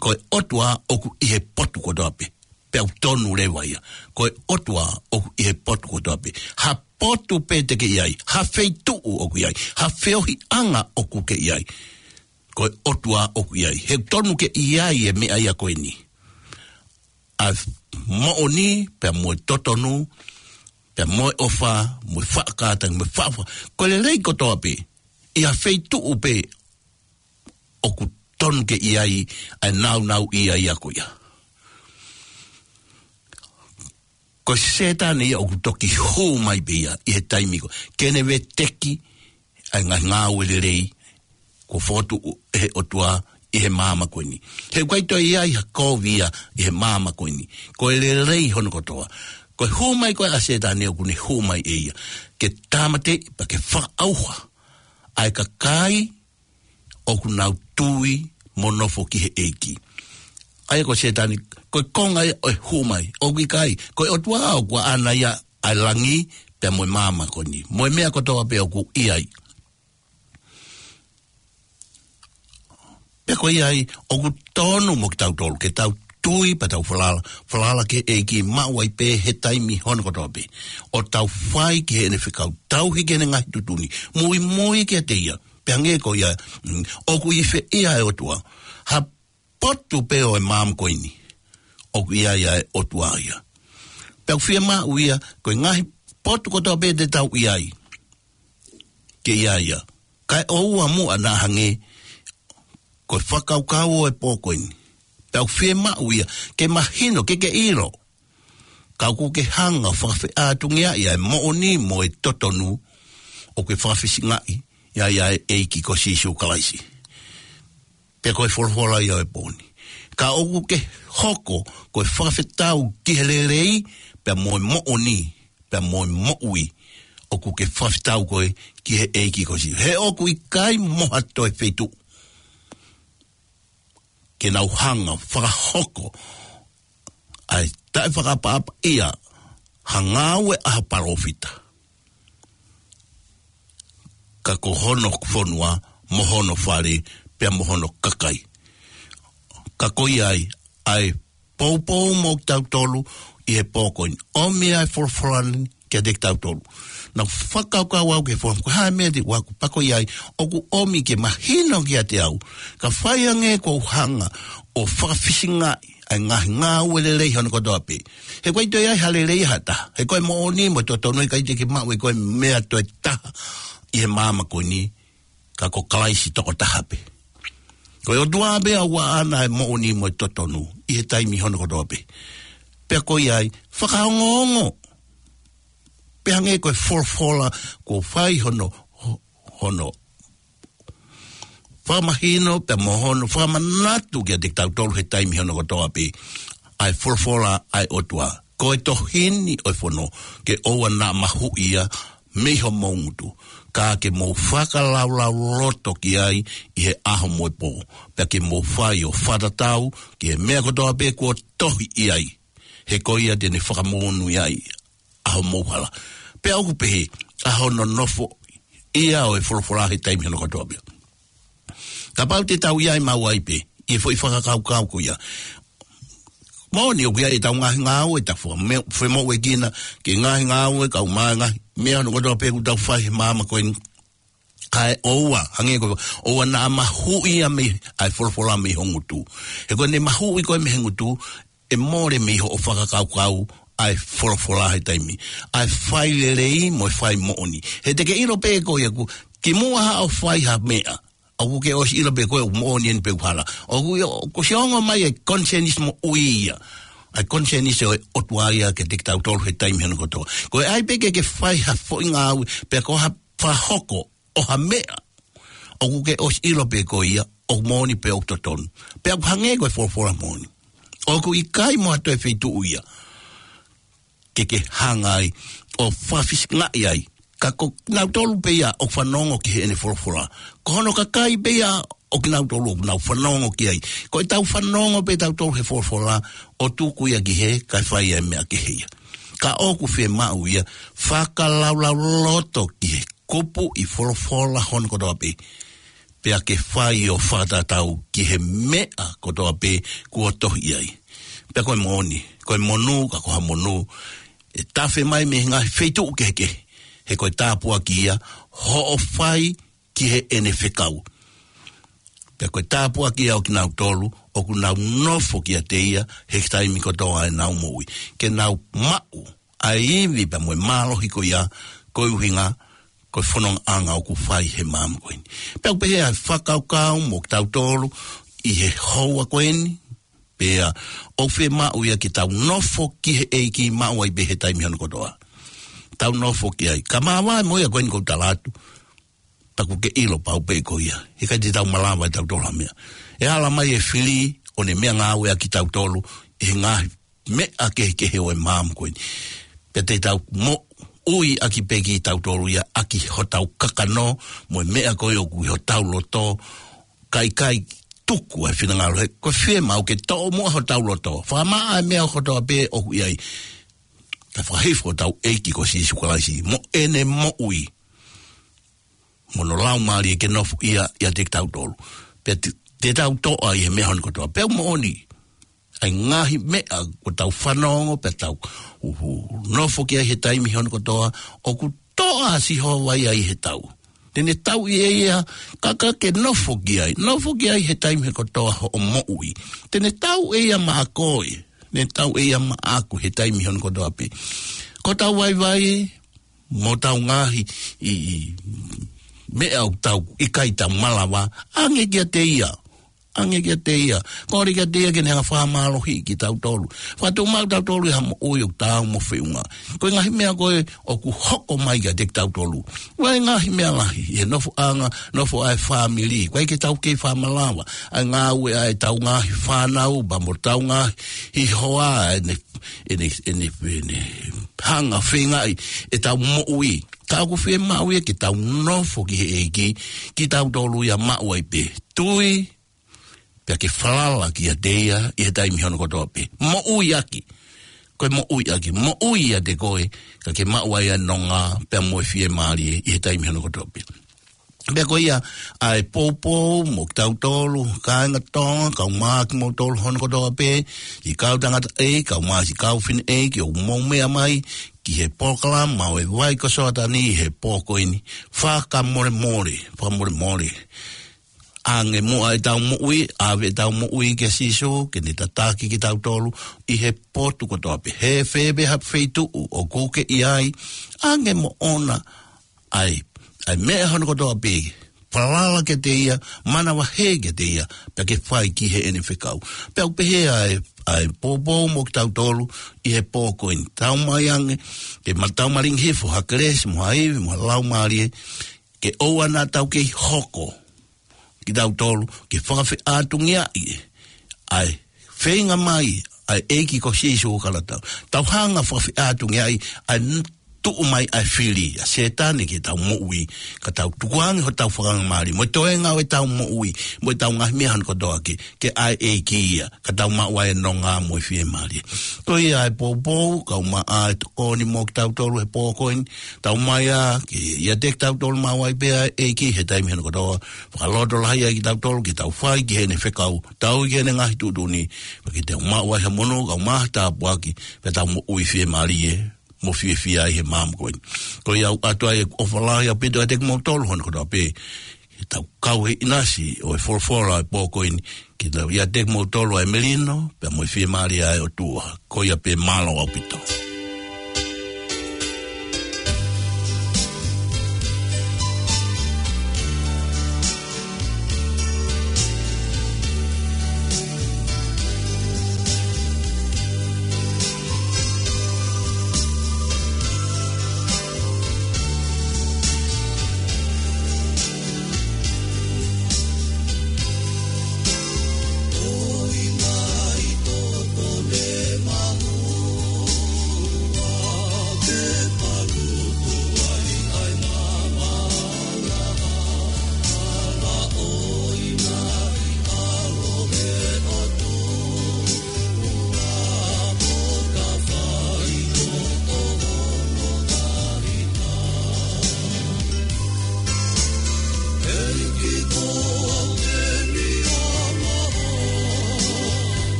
ko e ʻOtua ʻoku ʻi he potu kotoa pē. Pea ʻoku tonu leva ia. Ko e ʻOtua ʻoku ʻi he potu kotoa pē. Ha potu pē te ke ʻi ai. Ha feituʻu ʻoku ʻi ai. Ha feohiʻanga ʻoku ke ʻi ai. Ko e ʻOtua ʻoku ʻi ai. He ʻoku tonu ke ʻi ai e meʻa ia ko eni. ʻA e moʻoni, pea mo e totonu, pea mo e ʻofa, mo e faʻa kātaki, mo e faʻa, ko e lelei kotoa pē. ʻI ha feituʻu pē ʻoku tonu ke ʻi ai ʻa e nāunau ʻi ai ʻa ko ia. Ko Sētane ia ʻoku toki hū mai pē ia ʻi he taimi ko ē. Ke ne veteki ʻa e ngaahi ngāue lelei kuo fokotuʻu ʻe he ʻOtua ʻi he māmani ko eni. He ʻoku ʻikai toe ʻi ai ha kovi ia ʻi he māmani ko eni. Ko e lelei hono kotoa. Ko e hū mai ko ē ʻa Sētane ʻoku ne hū mai ʻe ia. Ke tāmateʻi pea ke fakaʻauha ʻa e kakai ʻoku nau tui mo nofo ki he ʻEiki. ʻA ia ko Sētane, ko e konga ia ʻo e hū mai, ʻoku ʻikai, ko e ʻOtua ʻoku ʻaʻana ia ʻa e langi, pea mo e māmani ko eni. Mo e meʻa kotoa pē ʻoku ʻi ai. Pea ko ia ai, ʻoku tonu mo kitautolu, ke tau tui pea tau falala, falala ki he ʻEiki maʻu ai pē he taimi hono kotoa pē. ʻO tau fai ki heʻene fekau, tauhi ki heʻene ngaahi tuʻutuʻuni, muimui kiate ia. Pea hangē ko ia, mm, ʻoku ʻi fē ia ʻa e ʻOtua. Ha potu pē ʻo e māmani ko eni. ʻOku ʻi ai ʻa e ʻOtua ia. Pea ʻoku fiemaʻu ia, ko e ngaahi potu kotoa pē te tau ʻi ai. Ke ʻi ai ia. Kae ʻoua muʻa naʻa hangē, ko e fakakaukau ʻo e pō ko eni. Pea ʻoku fiemaʻu ia, ke mahino, ke ke ʻilo. Ka ʻoku ke hanga ʻo fakafeʻātungiaʻi ʻa e moʻoni mo e totonu, ʻoku ke fakafisingaʻi, ʻi ai ʻa e ʻEiki ko Sīsū Kalaisi. Pea ko e folofola ia ʻo e pō ni. Ka ʻoku ke hoko, ko e fakafetau ki he lelei, pea mo e moʻoni, pea mo e moʻui, ʻoku ke fakafetau koe ki he ʻEiki ko Sīsū. He ʻoku ʻikai mo ha toe feituʻu ke nau hanga ʻo fakahoko ʻa e taʻefakaʻapaʻapaʻia ha ngāue ʻa ha palōfita. Ka ko hono fonua, mo hono fale, pea mo hono kakai. Ka ko ia ai, ʻa e poupou mo kitautolu ʻi he pō ko eni. ʻOmi ʻa e folofola ni kiate kitautolu. Naʻa ku fakakaukau au ki he folofola, ko e hā e meʻa te u ako, pea ko ia ai, ʻoku ʻomi ke mahino kiate au. Ka fai ange ʻoku ou hanga ʻo fakafisingaʻi ʻa e ngaahi ngāue lelei hono kotoa pē. He ʻoku ʻikai toe ʻi ai ha lelei ha taha. He ko e moʻoni mo e totonu ʻikai te ke maʻu ʻe koe meʻa toe taha ʻi he māmani ko eni. Ka ko Kalaisi tokotaha pē. Ko e ʻOtua pē ʻoku ʻaʻana ʻa e moʻoni mo e totonu ʻi he taimi hono kotoa pē. Pea ko ia ai, fakaongoongo. Pea hangē ko e folofola, kuo fai hono, ho-, hono fakamahino, pea mo hono fakamanatu kiate kitautolu he taimi hono kotoa pē. ʻA e folofola ʻa e ʻOtua. Ko e tohi ni ʻo e fono, ke ʻoua naʻa mahuʻi ia mei homou ngutu. Ka ke mou fakalaulauloto ki ai ʻi he ʻaho mo e pō. Pea ke mou fai ʻo fakatatau ki he meʻa kotoa pē kuo tohi ʻi ai. He ko ia te ne fakamonūʻia ai ʻa homou hala. Pea ʻoku pehē, ʻa hono nofo ia ʻo e folofola he taimi hono kotoa pē. Kapau te tau ʻi ai maʻu ai pē, ʻi he foʻi fakakaukau ko ia. Moʻoni ʻoku ʻi ai ʻetau ngaahi ngāue, ʻetau fo-, me-, femoʻuekina, ke ngaahi ngāue, kau mai ngaahi, meʻa hono kotoa pē ʻoku tau fai he māmani ko eni. Kae ʻoua, hangē ko, ʻoua naʻa mahuʻi ia mei, ʻa e folofola mei ho ngutu. He ko ʻene mahuʻi koe mei he ngutu, ʻe mole mei hoʻo fakakaukau ʻa e folofola he taimi. ʻA e fai lelei mo e fai moʻoni. He te ke ʻilo pē ko ia ʻoku, kimuʻa haʻo fai ha meʻa, ʻoku ke ʻosi ʻilo pē ko e moʻoni eni pe ʻoku hala. ʻOku ʻi, ʻoku ʻosi ongo mai e konisēnisi moʻui ia. ʻA e konisēnisi ʻo e ʻOtua ia kiate kitautolu he taimi hono kotoa. Ko e ʻai pē ke ke fai ha foʻi ngāue, pe ko ha fakahoko ʻo ha meʻa, ʻoku ke ʻosi ʻilo pē ko ia ʻoku moʻoni pe ʻoku totonu. Pea ʻoku hangē ko e folofola moʻoni. ʻOku ʻikai mo ha toe feituʻu ia ke ke hanga ai ʻo fakafisingaʻi ai. Ka ko kinautolu pē ia ʻoku fanongo ki heʻene folofola. Ko hono kakai pē ia ʻo kinautolu ʻoku nau fanongo ki ai. Ko ʻetau fanongo pē tautolu he folofola ʻo tuku ia ki hē, kae fai ai e meʻa kehe ia. Ka ʻoku fiemaʻu ia fakalaulauloto ki he kupuʻi folofola hono kotoa pē. Pea ke fai ʻo fakatatau ki he meʻa kotoa pē kuo tohi ai. Pea ko e moʻoni, ko e monū, ka ko ha monū ʻe tafe mai mei he ngaahi feituʻu kehekehe. He ko e tāpuaki ia hoʻo fai ki heʻene fekau. Pea ko e tāpuaki ia ʻo kinautolu ʻoku nau nofo kiate ia he taimi kotoa ʻenau moʻui. Ke nau maʻu ʻa e ivi pea mo e mālohi ko ia, ko e ʻuhinga ko e fonongaʻanga ʻoku fai he maama ko eni. Pea ʻoku pehē ʻa e fakakaukau mo kitautolu ʻi he houa ko eni, pea ʻoku fiemaʻu ia ke tau nofo ki he ʻEiki maʻu ai pē he taimi hono kotoa. Tau nofo ki ai. Ka māvae mo ia ko eni ʻoku ou tala atu. Pea ʻoku ke ʻilo pau pē ko ia. He ʻikai te tau malava ʻe tautolu ha meʻa. ʻE hala mai e fili ʻo ne meʻangāueʻaki kitautolu ʻi he ngaahi meʻa kehekehe ʻo e maama ko eni. Pea te tau moʻuiʻaki pē kitautolu ia ʻaki hotau kakano mo e meʻa ko ē ʻoku ʻi hotau loto, kae ʻikai tuku e finangalo he ko e fiemaʻu ke toʻo muʻa hotau loto. Fakamaʻa e meʻa kotoa pē ʻoku ʻi ai. Kae fakahifo hotau ʻEiki ko Sīsū Kalaisi mo ʻene moʻui mo hono Laumālie ke nofo ia ʻiate kitautolu. Pea te, te tau toʻa ʻi he meʻa hono kotoa. Pea ʻoku moʻoni ʻa e ngaahi meʻa ʻoku tau fanongo pea tau, uhu, nofo ki ai he taimi hono kotoa, ʻoku toʻa ʻa Sihova ia ʻi he tau. Te ne tauʻi ʻe ia, ka ka ke nofo ki ai, nofo ki ai he taimi hono kotoa hoʻo moʻui. Te ne tauʻi ʻe ia maʻa koe, te ne tauʻi ʻe ia maʻaku he taimi hono kotoa pē. Ko hotau vaivai, mo hotau ngaahi, ʻi, ʻi, meʻa ʻoku tau ʻikai tau malava, ʻange kiate ia. ʻAnge kiate ia. Kole kiate ia ke ne hanga fakamālohiʻi kitautolu. Fakatuʻumaʻu kitautolu ʻi ha moʻui ʻoku taau mo feʻunga. Ko e ngaahi meʻa ko ē ʻoku hoko mai kiate kitautolu. ʻOku ʻi ai e ngaahi meʻa lahi ʻi he nofoʻanga, nofo ʻa e fāmili. ʻOku ʻikai ke tau kei fakamalava ʻa e ngāue ʻa ʻetau ngaahi fānau, pea mo hotau ngaahi hoa, ʻene, ʻene, ʻene, ʻene hanga feingaʻi ʻetau moʻui. Ka ʻoku fiemaʻu ia ke tau nofo ki he ʻEiki, kitautolu ia maʻu ai pē. Tui, pea ke falala kiate ia ʻi he taimi hono kotoa pē. Moʻuiʻaki. Ko e moʻuiʻaki. Moʻui ʻiate koe, ka ke maʻu ai ʻa e nonga, pea mo e fiemālie ʻi he taimi hono kotoa pē. Pea ko ia ʻa e poupou mo kitautolu, kāinga Tonga, kau mai kimoutolu hono kotoa pē, siʻi kau tangataʻeiki, kau mai siʻi kau fineʻeiki, ʻoku mou meʻa mai ki he polokalama ʻo e Vai ko Soatani he pō ko eni, fakamolemole, fakamolemole. ʻAnge muʻa ʻetau moʻui, ʻave ʻetau moʻui kia Sīsū, ke ne tataki kitautolu ʻi he potu kotoa pē. He fē pē ha feituʻu ʻoku ke ʻi ai, ʻange moʻona ʻa e, ʻa e meʻa hono kotoa pē, falala kiate ia, manavahē kiate ia, pea ke fai ki heʻene fekau. Pea ʻoku pehē ʻa e, ʻa e poupou mo kitautolu ʻi he pō ko eni. Tau mai ange, ke ma-, tau malingi hifo ha kelesi, mo ha ivi, mo ha laumālie, ke ʻoua naʻa tau kei hoko kitautolu ke fakafeʻātungiaʻi ʻa e feinga mai ʻa e ʻEiki ko Sīsū ʻo kala tau. Tau hanga fakafeʻātungiaʻi ʻa e n-, tuʻu mai ʻa e fili ʻa Sētane ki heʻetau moʻui, ka tau tukuange hotau fakangamālie, mo e toenga ʻo ʻetau moʻui, mo ʻetau ngaahi meʻa hono kotoa ke, ke ʻa e ʻEiki ia, ka tau maʻu ai e nonga mo e fiemālie. Ko ia ʻa e poupou, kau mai ʻa e tokoni mo kitautolu he pō ko eni, tau mai ā, ke ʻiate kitautolu maʻu ai pē ʻa e ʻEiki he taimi hono kotoa, fakalotolahi ai kitautolu, ke tau fai ki heʻene fekau, tau ki heʻene ngaahi tuʻutuʻuni, pea ke tau maʻu ai ha monū, kau mai ha tāpuaki, pea tau moʻui fiemālie, mo fiefia ai he maama ko eni. Ko ia ʻoku ʻoatu ai ʻeku ʻofa lahi ʻaupito ʻiate kimoutolu hono kotoa pē, ke tau kau he ʻinasi ʻo e folofola ʻo e pō ko eni, ke tau ʻiate kimoutolu ʻa e melino, pea mo e fiemālie ʻa e ʻOtua. Ko ia pē, mālō ʻaupito.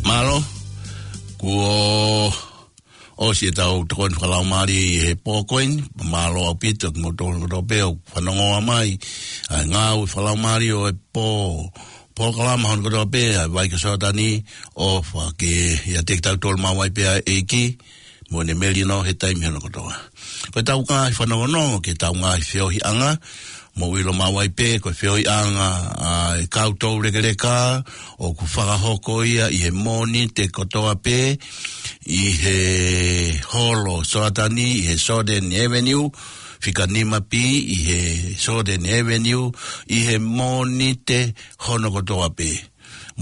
Mālō, kuo ʻosi ʻetau tokoni fakalaumālie ʻi he pō ko eni, mālō ʻaupito kimoutolu kotoa pē ʻoku fanongo mai. ʻA e ngāue fakalaumālie ʻo e pō, polokalama hono kotoa pē, ʻa e Vai ko Soatani, ʻofa ke ʻiate kitautolu maʻu ai pē ʻa e ʻEiki, mo ʻene melino he taimi hono kotoa. Ko ʻetau ngaahi fanongonongo ki heʻetau ngaahi feohiʻanga, mou ʻilo maʻu ai pē, ko e feohiʻanga ʻa e kau toulekeleka, ʻoku fakahoko ia ʻi he Mōnite kotoa pē, ʻi he holo Soatani, ʻi he Soden Avenue, fika nima pī, ʻi he Soden Avenue, ʻi he Mōnite hono kotoa pē.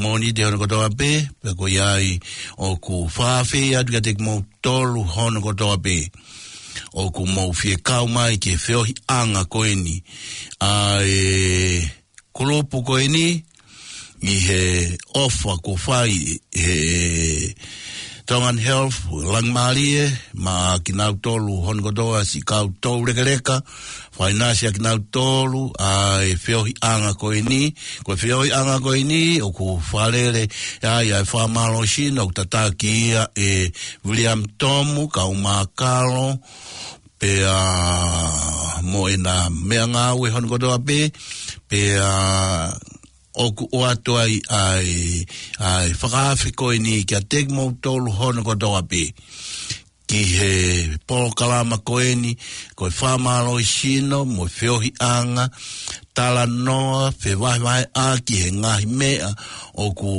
Mōnite hono kotoa pē, pea ko ia ai ʻoku fakaafeʻi atu kiate kimoutolu hono kotoa pē ʻoku mou fie kau mai ki he feohiʻanga ko eni ʻa e kulupu ko eni, ʻi he ʻofa kuo fai he Tongan Health, Langimālie, maʻa kinautolu hono kotoa siʻi kau toulekeleka, fakainasi ʻa kinautolu ʻa e feohiʻanga ko eni. Ko e feohiʻanga ko eni ʻoku fakalele ai ʻa e fakamālohisino, ʻoku tataki ia ʻe William Tomu Kaumākalo, pea mo ʻena meʻangāue hono kotoa pē, pea ʻoku ʻoatu ai ʻa e, ʻa e fakaafe ko eni kiate kimoutolu hono kotoa pē ki he polokalama ko eni, ko e fakamālohisino mo e feohiʻanga, talanoa, fevahevaheʻaki he ngaahi meʻa ʻoku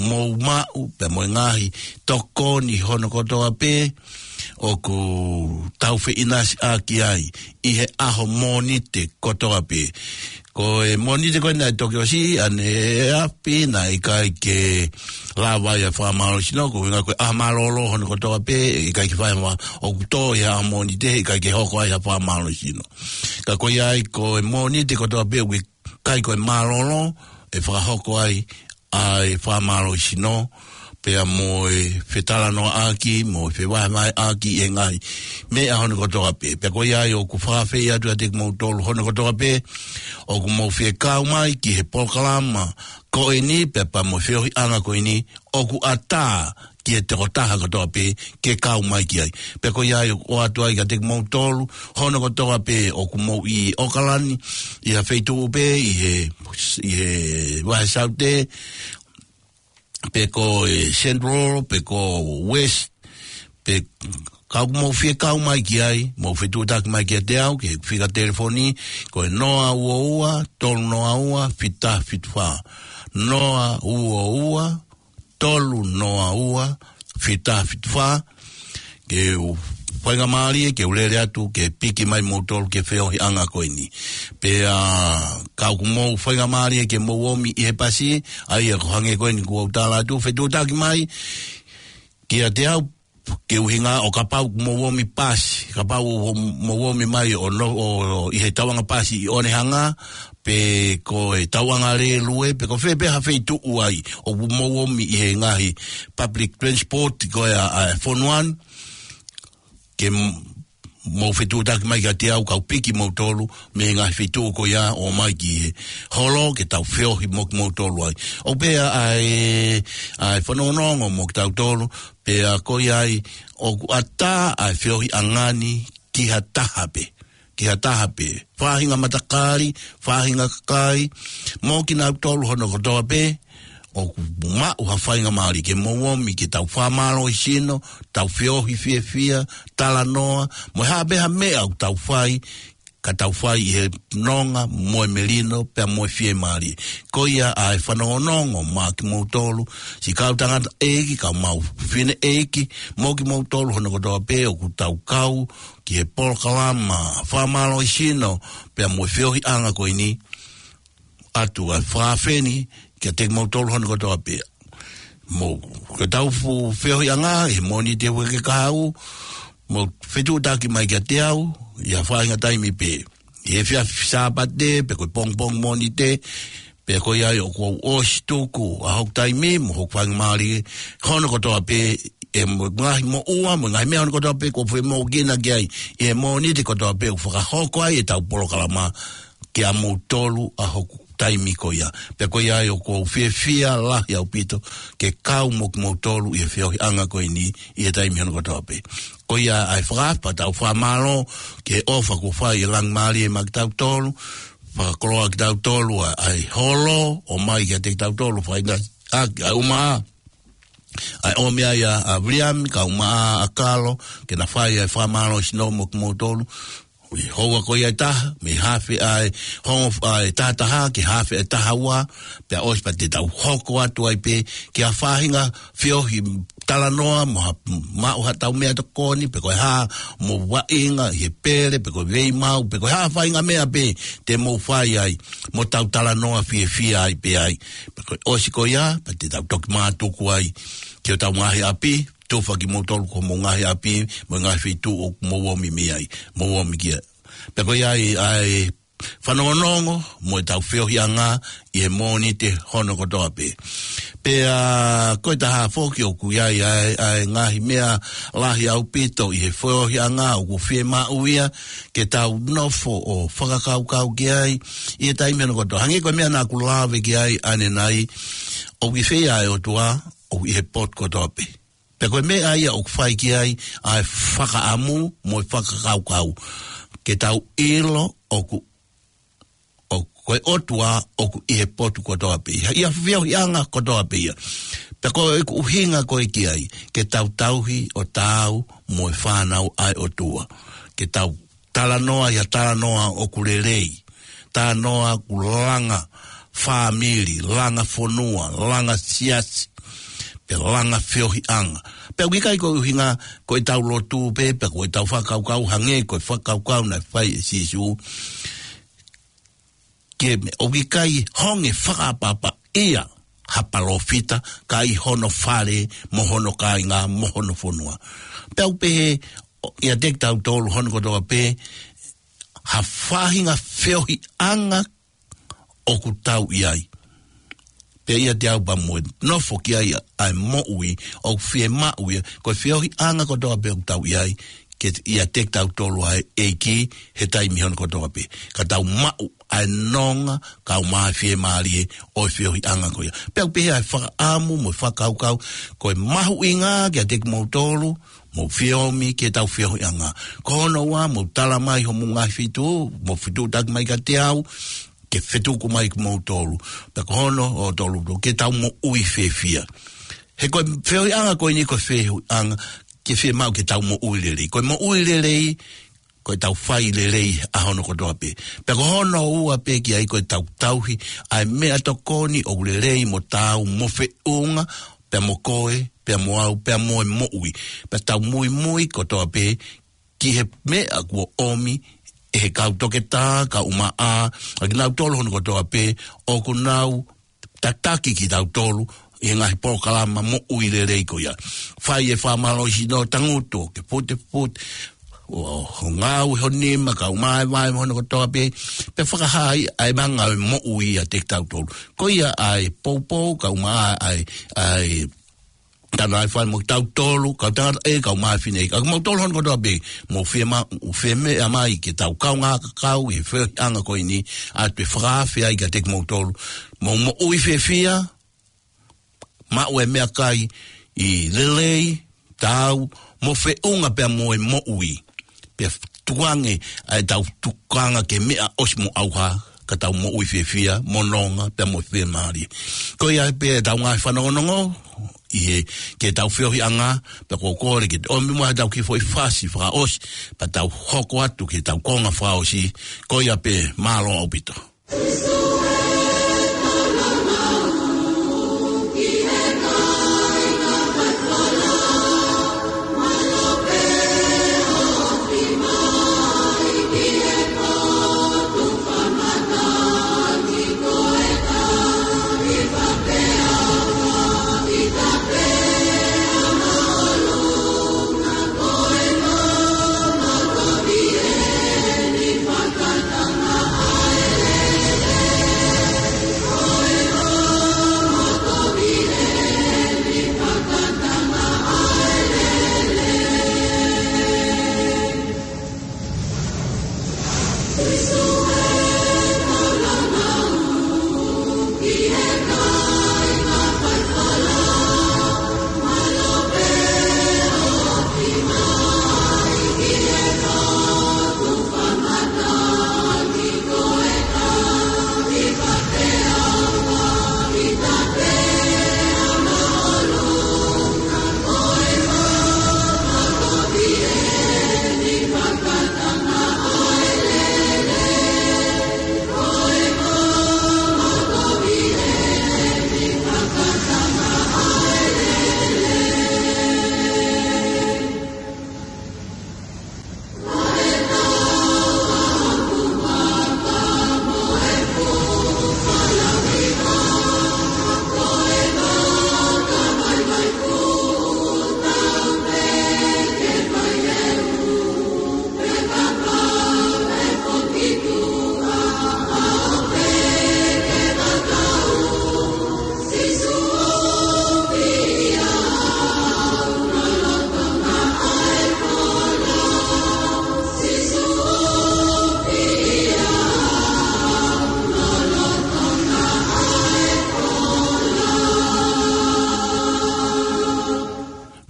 mou maʻu, pea mo e ngaahi tokoni hono kotoa pē ʻoku tau feʻinasiʻaki ai ʻi he ʻaho Mōnite kotoa pē. Ko e Mōnite ko ē naʻe toki ʻosi ʻaneafi naʻe ʻikai ke lava ai ʻa e fakamālohisino, ko e ʻuhinga ko e ʻaho mālōlō hono kotoa pē, ʻikai ke fai ma, ʻoku tō ʻi he ʻaho Mōnite, ʻikai ke hoko ai ha fakamālohisino. Ka ko ia ai ko e Mōnite kotoa pē, ʻoku ʻikai ko e mālōlō ʻe fakahoko ai ʻa e fakamālohisino, pea mo e fetalanoaʻaki, mo e fevahevaheʻaki ʻi he ngaahi meʻa hono kotoa pē. Pea ko ia ai ʻoku fakaafeʻi atu kiate kimoutolu hono kotoa pē ʻoku mou fie kau mai ki he polokalama ko eni, pea pea mo e feohiʻanga ko eni, ʻoku ʻatā ki he tokotaha kotoa pē ke kau mai ki ai. Pea ko ia ai ʻoku ʻoatu ai kiate kimoutolu hono kotoa pē ʻoku mou ʻi ʻOkalani, ʻi ha feituʻu pē ʻi he, ʻi he vahe Saute, pe ko e Central, pe ko West, pe ka ʻoku mou fie kau mai ki ai, mou fetuʻutaki mai kiate au, ki he fika telefoni, ko e noa ua ua, tolu noa ua, fitu taha fitu fā. Noa ua ua, tolu noa ua, fitu taha fitu fā, ke u faingamālie, ke u lele atu, ke piki mai moutolu, ke feohiʻanga ko eni. Pea ka ʻoku mou faingamālie, ke mou ōmi ʻi he pasi, ʻa ia ko e hangē ko eni kuo u tala atu, fetuʻutaki mai kiate au, ke ʻuhinga ʻo kapau ʻoku mou ōmi pasi, kapau ʻoku mou ōmi mai ʻo no, ʻo, ʻo ʻi he tauʻanga pasi ʻi Onehunga, pe ko e tauʻanga lēlue, pe ko fē pē ha feituʻu ai ʻoku mou ōmi ʻi he ngaahi public transport ko ia ʻa e fonua ni, ke m-, mou fetuʻutaki mai kiate au, kau piki moutolu mei he ngaahi feituʻu ko ia ʻo ō mai ki he holo ke tau feohi mo kimoutolu ai. ʻOku pehē ʻa e, ʻa e fanongonongo mo kitautolu, pea ko ia ai ʻoku ʻatā ʻa e feohiʻanga ni ki ha taha pē, ki ha taha pē. Faʻahinga matakali, faʻahinga kakai, mo kinautolu hono kotoa pē ʻoku maʻu ha faingamālie, ke mou ōmi ke tau fakamālohisino, tau feohi fiefia, talanoa, mo e hā pē ha meʻa ʻoku tau fai, ka tau fai ʻi he nonga mo e melino, pea mo e fiemālie. Ko ia ʻa e fanongonongo maʻa kimoutolu siʻi kau tangataʻeiki, kau maʻu fineʻeiki, mo kimoutolu hono kotoa pē ʻoku tau kau ki he polokalama fakamālohisino, pea mo e feohiʻanga ko eni, ʻoatu ʻa e fakaafe ni kiate kimoutolu hono kotoa pē. Mou, ko ʻetau fu-, feohiʻanga, ʻi he Mōnite ʻo e uike kahaʻu, mou fetuʻutaki mai kiate au, ʻi ha faʻahinga taimi pē. ʻI he efiafi Sāpate, pe ko e pongipongi Mōnite, pea ko ia ai ʻoku ou ʻosi tuku ʻa hoku taimi, mo hoku faingamālie, hono kotoa pē, ʻi he mo-, ngaahi moʻua, mo e ngaahi meʻa hono kotoa pē, ʻoku ou femoʻukina ki ai, ʻi he Mōnite kotoa pē, ʻoku fakahoko ai ʻetau polokalama, kiate kimoutolu ʻa hoku taimi ko ia. Pea ko ia ai ʻoku ou fiefia lahi ʻaupito ke kau mo kimoutolu ʻi he feohiʻanga ko eni ʻi he taimi hono kotoa pē. Ko ia ai fakaʻapaʻapa ʻetau fakamālō ki he ʻofa kuo fai ʻe Langimālie maʻa kitautolu, fakakoloa kitautolu ʻa, ʻa e holo, ʻomai kiate kitautolu, fai na, ʻa, ʻa uma, ʻa e ʻomi ai ʻa, ʻa Viliami, kae ʻumaʻā ʻa Kalo, ke na fai ʻa e fakamālō sino mo kimoutolu, ʻi he houa ko ia ʻe taha, mei he hafe ʻa e, hongo ʻa e taha taha, ki he hafe ʻa e taha ua, pea ʻosi pea te tau hoko atu ai pē, ki ha faʻahinga feohi talanoa, mo ha, maʻu haʻatau meʻatokoni, pe ko e hā, mo vaʻinga, ʻi he pele, pe ko e veimau, pe ko e hā faʻahinga meʻa pē, te mou fai ai, mo tau talanoa fiefia ai pē ai. Pea ko e ʻosi ko ia, pea te tau toki mātuku ai, ki hotau ngaahi ʻapi, tufa kimoutolu ki homou ngaahi ʻapi, mo e ngaahi feituʻu ʻoku mou ō mai ai, mou ō mai ki ai. Pea ko ia ai, ʻa e fanongonongo, mo ʻetau feohiʻanga, ʻi he Mōnite hono kotoa pē. Pea, ko e taha foki ʻoku ʻi ai, ʻa e, ʻa e ngaahi meʻa lahi ʻaupito ʻi he feohiʻanga, ʻoku fiemaʻu ia, ke tau nofo ʻo fakakaukau ki ai, ʻi he taimi hono kotoa. Hangē ko e meʻa naʻa ku lave ki ai ʻanenai, ʻoku ʻi fē ʻa e ʻOtua, ʻoku ʻi he potu kotoa pē. Pea ko e meʻa ia ʻoku fai ki ai ʻa e fakaʻamu mo e fakakaukau. Ke tau ʻilo ʻoku, ʻoku ko e ʻOtua ʻoku ʻi he potu kotoa pē ia. ʻI he feohiʻanga kotoa pē ia. Pea ko e ʻuhinga ko ē ki ai, ke tau tauhi ʻo taau mo e fānau ʻa e ʻOtua. Ke tau talanoa ʻi ha talanoa ʻoku lelei. Talanoa ʻoku langa fāmili, langa fonua, langa siasi, pea langa feohiʻanga. Pea ʻoku ʻikai ko e ʻuhinga ko ʻetau lotu pē, pea ko ʻetau fakakaukau hangē ko e fakakaukau naʻe fai ʻe Sīsū. Ke me ʻoku ʻikai honge fakaʻapaʻapa ia ha palōfita, ka ʻi hono fale, mo hono kāinga, mo hono fonua. Pea ʻoku pehē, ʻo, ʻiate kitautolu hono kotoa pē, ha faʻahinga feohiʻanga ʻoku tau ʻi ai. Pea ʻiate au pea mo e nofo ki ai ʻa e moʻui, ʻoku fiemaʻu ia, ko e feohiʻanga kotoa pē ʻoku tau ʻi ai, ke ʻiate kitautolu ʻa e ʻEiki, he taimi hono kotoa pē. Ka tau maʻu ʻa e nonga, kae ʻumaʻā e fiemālie ʻo e feohiʻanga ko ia. Pea ʻoku pehē ʻa e fakaʻamu mo e fakakaukau, ko e mahuʻinga kiate kimoutolu, mou fie ō mai ki heʻetau feohiʻanga. Ko hono ua, mou tala mai homou ngaahi feituʻu, mou fetuʻutaki mai kiate au, ke fetuku mai kimoutolu. Pea ko hono ʻo tolu, ke tau moʻui fiefia. He ko e feohiʻanga ko eni ko e feohiʻanga, ke fiemaʻu ke tau moʻui lelei. Ko e moʻui lelei, ko ʻetau fai lelei ʻa hono kotoa pē. Pea ko hono ua pē ki ai ko ʻetau tauhi ʻa e meʻatokoni ʻoku lelei mo taau mo feʻunga, pea mo koe, pea mo au, pea mo e moʻui. Pea tau muimui kotoa pē ki he meʻa kuo ʻomi ʻe he kau toketā, kae ʻumaʻā ʻa kinautolu hono kotoa pē ʻoku nau tataki kitautolu ʻi he ngaahi polokalama moʻui lelei ko ia. Fai e fakamālohisino tangutu, ke pute pute, ʻo, ʻo ngāue ho nima, kae ʻumaʻā e vaʻe mo hono kotoa pē, pea fakahā ai ʻa e manga ʻo e moʻui ʻiate kitautolu. Ko ia ʻa e poupou, kae ʻumaʻā ʻa e, ʻa e tana ai fai mo kitautolu, kau tangata ʻe, kae ʻumaʻā e fineʻeiki. ʻA kimoutolu hono kotoa pē, mou fiema-, mou fie meʻa mai ke tau kaungā kakau ʻi he feohiʻanga ko eni, ʻoatu e fakaafe ai kiate kimoutolu. Mou moʻui fiefia, maʻu e meʻakai ʻi he lelei, taau, mo feʻunga pea mo e moʻui. Pea tukuange ʻa ʻetau tukanga ke meʻa ʻosi mo ʻauha, ka tau moʻui fiefia, mo nonga, pea mo fiemālie. Ko ia pē ʻetau ngaahi fanongonongo, ʻi he, ki heʻetau feohiʻanga, pea ʻoku ou kole ke te ʻomi mai haʻatau kiʻi foʻi fasi fakaʻosi, pea tau hoko atu ki heʻetau konga fakaʻosi, ko ia pē, mālō ʻaupito.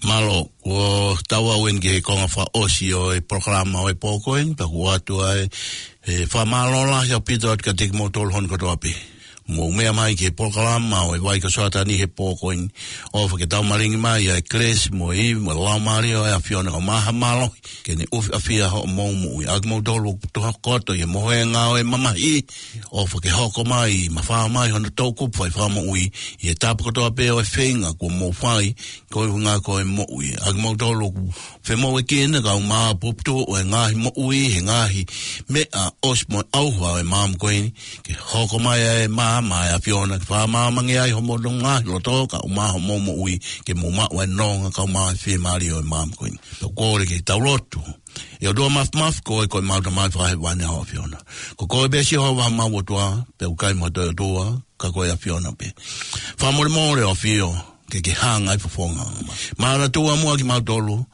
Mālō, kuo tau aʻu eni ki he konga fakaʻosi ʻo e polokalama ʻo e pō ko eni, pea ʻoku ʻoatu ai e fakamālō lahi ʻaupito atu kiate kimoutolu hono kotoa pē. Mou meʻa mai ki he polokalama ʻo e Vai ko Soatani he pō ko eni. ʻOfa ke tau malingi mai ʻa e kelesi mo e ivi mo e laumālie ʻo e ʻAfiona kae ʻumaʻā ha mālohi ke ne ʻufiʻafia hoʻomou moʻui. ʻA kimoutolu ʻoku tokoto ʻi he mohenga ʻo e mamahi, ʻofa ke hoko mai, mafao mai hono toʻukupu fai fakamoʻui ʻi he tapa kotoa pē ʻo e feinga kuo mou fai, ko e ʻuhinga ko e moʻui. ʻA kimoutolu ʻoku femoʻuekina kae ʻumaʻā puputuʻu ʻo e ngaahi moʻui he ngaahi meʻa ʻosi mo e ʻauha ʻo e maama ko eni, ke hoko mai ʻa e maama ʻa e ʻAfiona ke fakamāmangia ai homou ngaahi loto kae ʻumaʻā homou moʻui, ke mou maʻu ʻa e nonga kae ʻumaʻā e fiemālie ʻo e maama ko eni. Pea ʻoku ou kole ke tau lotu. ʻE ʻOtua Māfimafi, ko koe ko homau Tamai fakahēvani ʻa e ʻAfiona. Ko koe pē Sihova homau ʻOtua, pea ʻoku ʻikai mo ha toe ʻOtua, ka ko e ʻAfiona pē. Fakamolemole ʻo ʻAfio, ke ke hanga ʻi ho fofonga mai. Manatua muʻa kimautolu,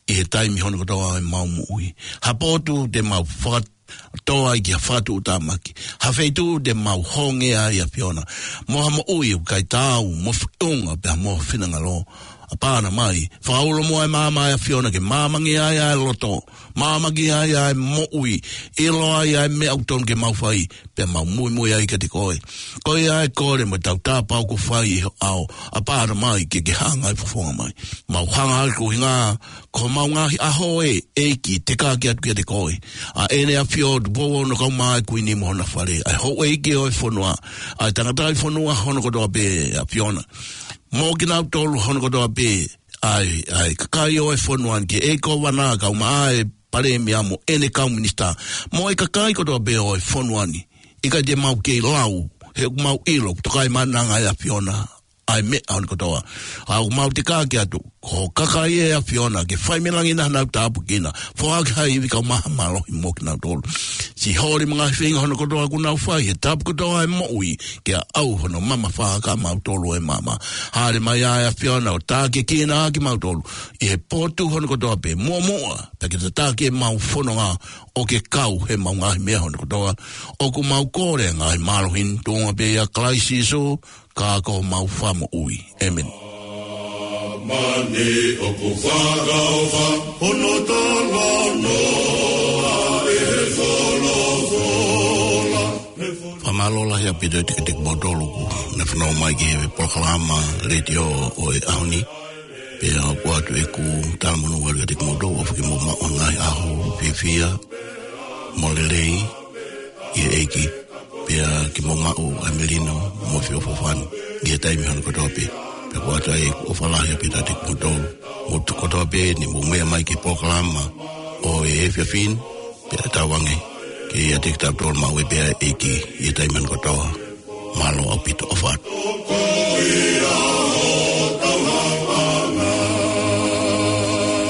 ʻi he taimi hono kotoa ʻo ʻemau moʻui. Ha potu te mau fakatoa ai ki ha fakatuʻutāmaki. Ha feituʻu te mau hongē ai ʻAfiona. Mo ha moʻui ʻoku ʻikai taau mo ho feʻunga pea mo ho finangalo. ʻApā Tamai, fakaulo muʻa e maama ʻa e ʻAfiona ke māmangia ai ʻa e loto. Māmangia ai ʻa e moʻui. ʻIloa ai ʻa e meʻa ʻoku tonu ke mau fai. Pea mau muimui ai kiate koe. Ko ia ʻa e kole mo e tautapa ʻoku fai ʻi ho ʻao. ʻApā Tamai, ke ke hanga ʻi ho fofonga mai. Mau hanga ʻi he ʻuhinga, ko homau ngaahi ʻaho ē, ʻEiki, tekaki atu kiate koe. ʻA ʻEne ʻAfio Tupou Ono kae ʻumaʻā e Kuini mo hona fale. ʻA e houʻeiki ʻo e fonua. ʻA e tangataʻi fonua hono kotoa pē ʻAfiona. Mo kinautolu hono kotoa pē. ʻA e, ʻa e kakai ʻo e fonua ni, ki he ʻEiki Kōvana kae ʻumaʻā e Palēmia mo ʻene kau minisitā. Mo e kakai kotoa pē ʻo e fonua ni. ʻIkai te mau kei lau, he ʻoku mau ʻilo, toka e mananga ʻa e ʻAfiona, ʻa e meʻa hono kotoa. ʻA ʻoku mau tekaki atu, ko e kakai ʻa e ʻAfiona, ke fai mei langi naʻa nau tāpuekina, foaki ha ivi kae ʻumaʻā ha mālohi mo kinautolu. Siʻi holi mo e ngaahi feinga hono kotoa ʻoku nau fai, he tapa kotoa ʻo e moʻui, ke aʻau hono mamafa kiate kimautolu ʻi he maama. Hāʻele mai ʻa e ʻAfiona ʻo tākiekina kimautolu, ʻi he potu hono kotoa pē, muʻomuʻa, pea ke tataki ʻemau fononga ʻo ke kau heʻemau ngaahi meʻa hono kotoa. ʻOku mau kole ngaahi mālohi ni tuʻunga pē ʻia Kalaisi Sīsū, ka ko homau Fakamoʻui. ʻĒmeni. Māmani ʻoku fakaʻofa, hono talanoa ʻe he folofola. Fakamālō lahi ʻaupito kiate kimoutolu kuo ne fanongo mai ki he polokalama letiō ʻo e ʻaho ni. Pea ʻoku ʻoatu ʻeku talamonū atu kiate kimoutolu, ʻofa ke mou maʻu ha ngaahi ʻaho fiefia mo lelei ʻi he ʻEiki. Pea ke mou maʻu ʻa e melino mo e feʻofoʻofani ʻi he taimi hono kotoa pē. Pea ʻoku ʻoatu ai ʻeku ʻofa lahi ʻaupito kiate kimoutolu. Mou tuku kotoa pē ni mou meʻa mai ki he polokalama ʻo e efiafi ni, pea tauange ke ʻiate kitautolu maʻu ai pē ʻa e ʻEiki ʻi he taimi hono kotoa. Mālō ʻaupito, ʻofa atu.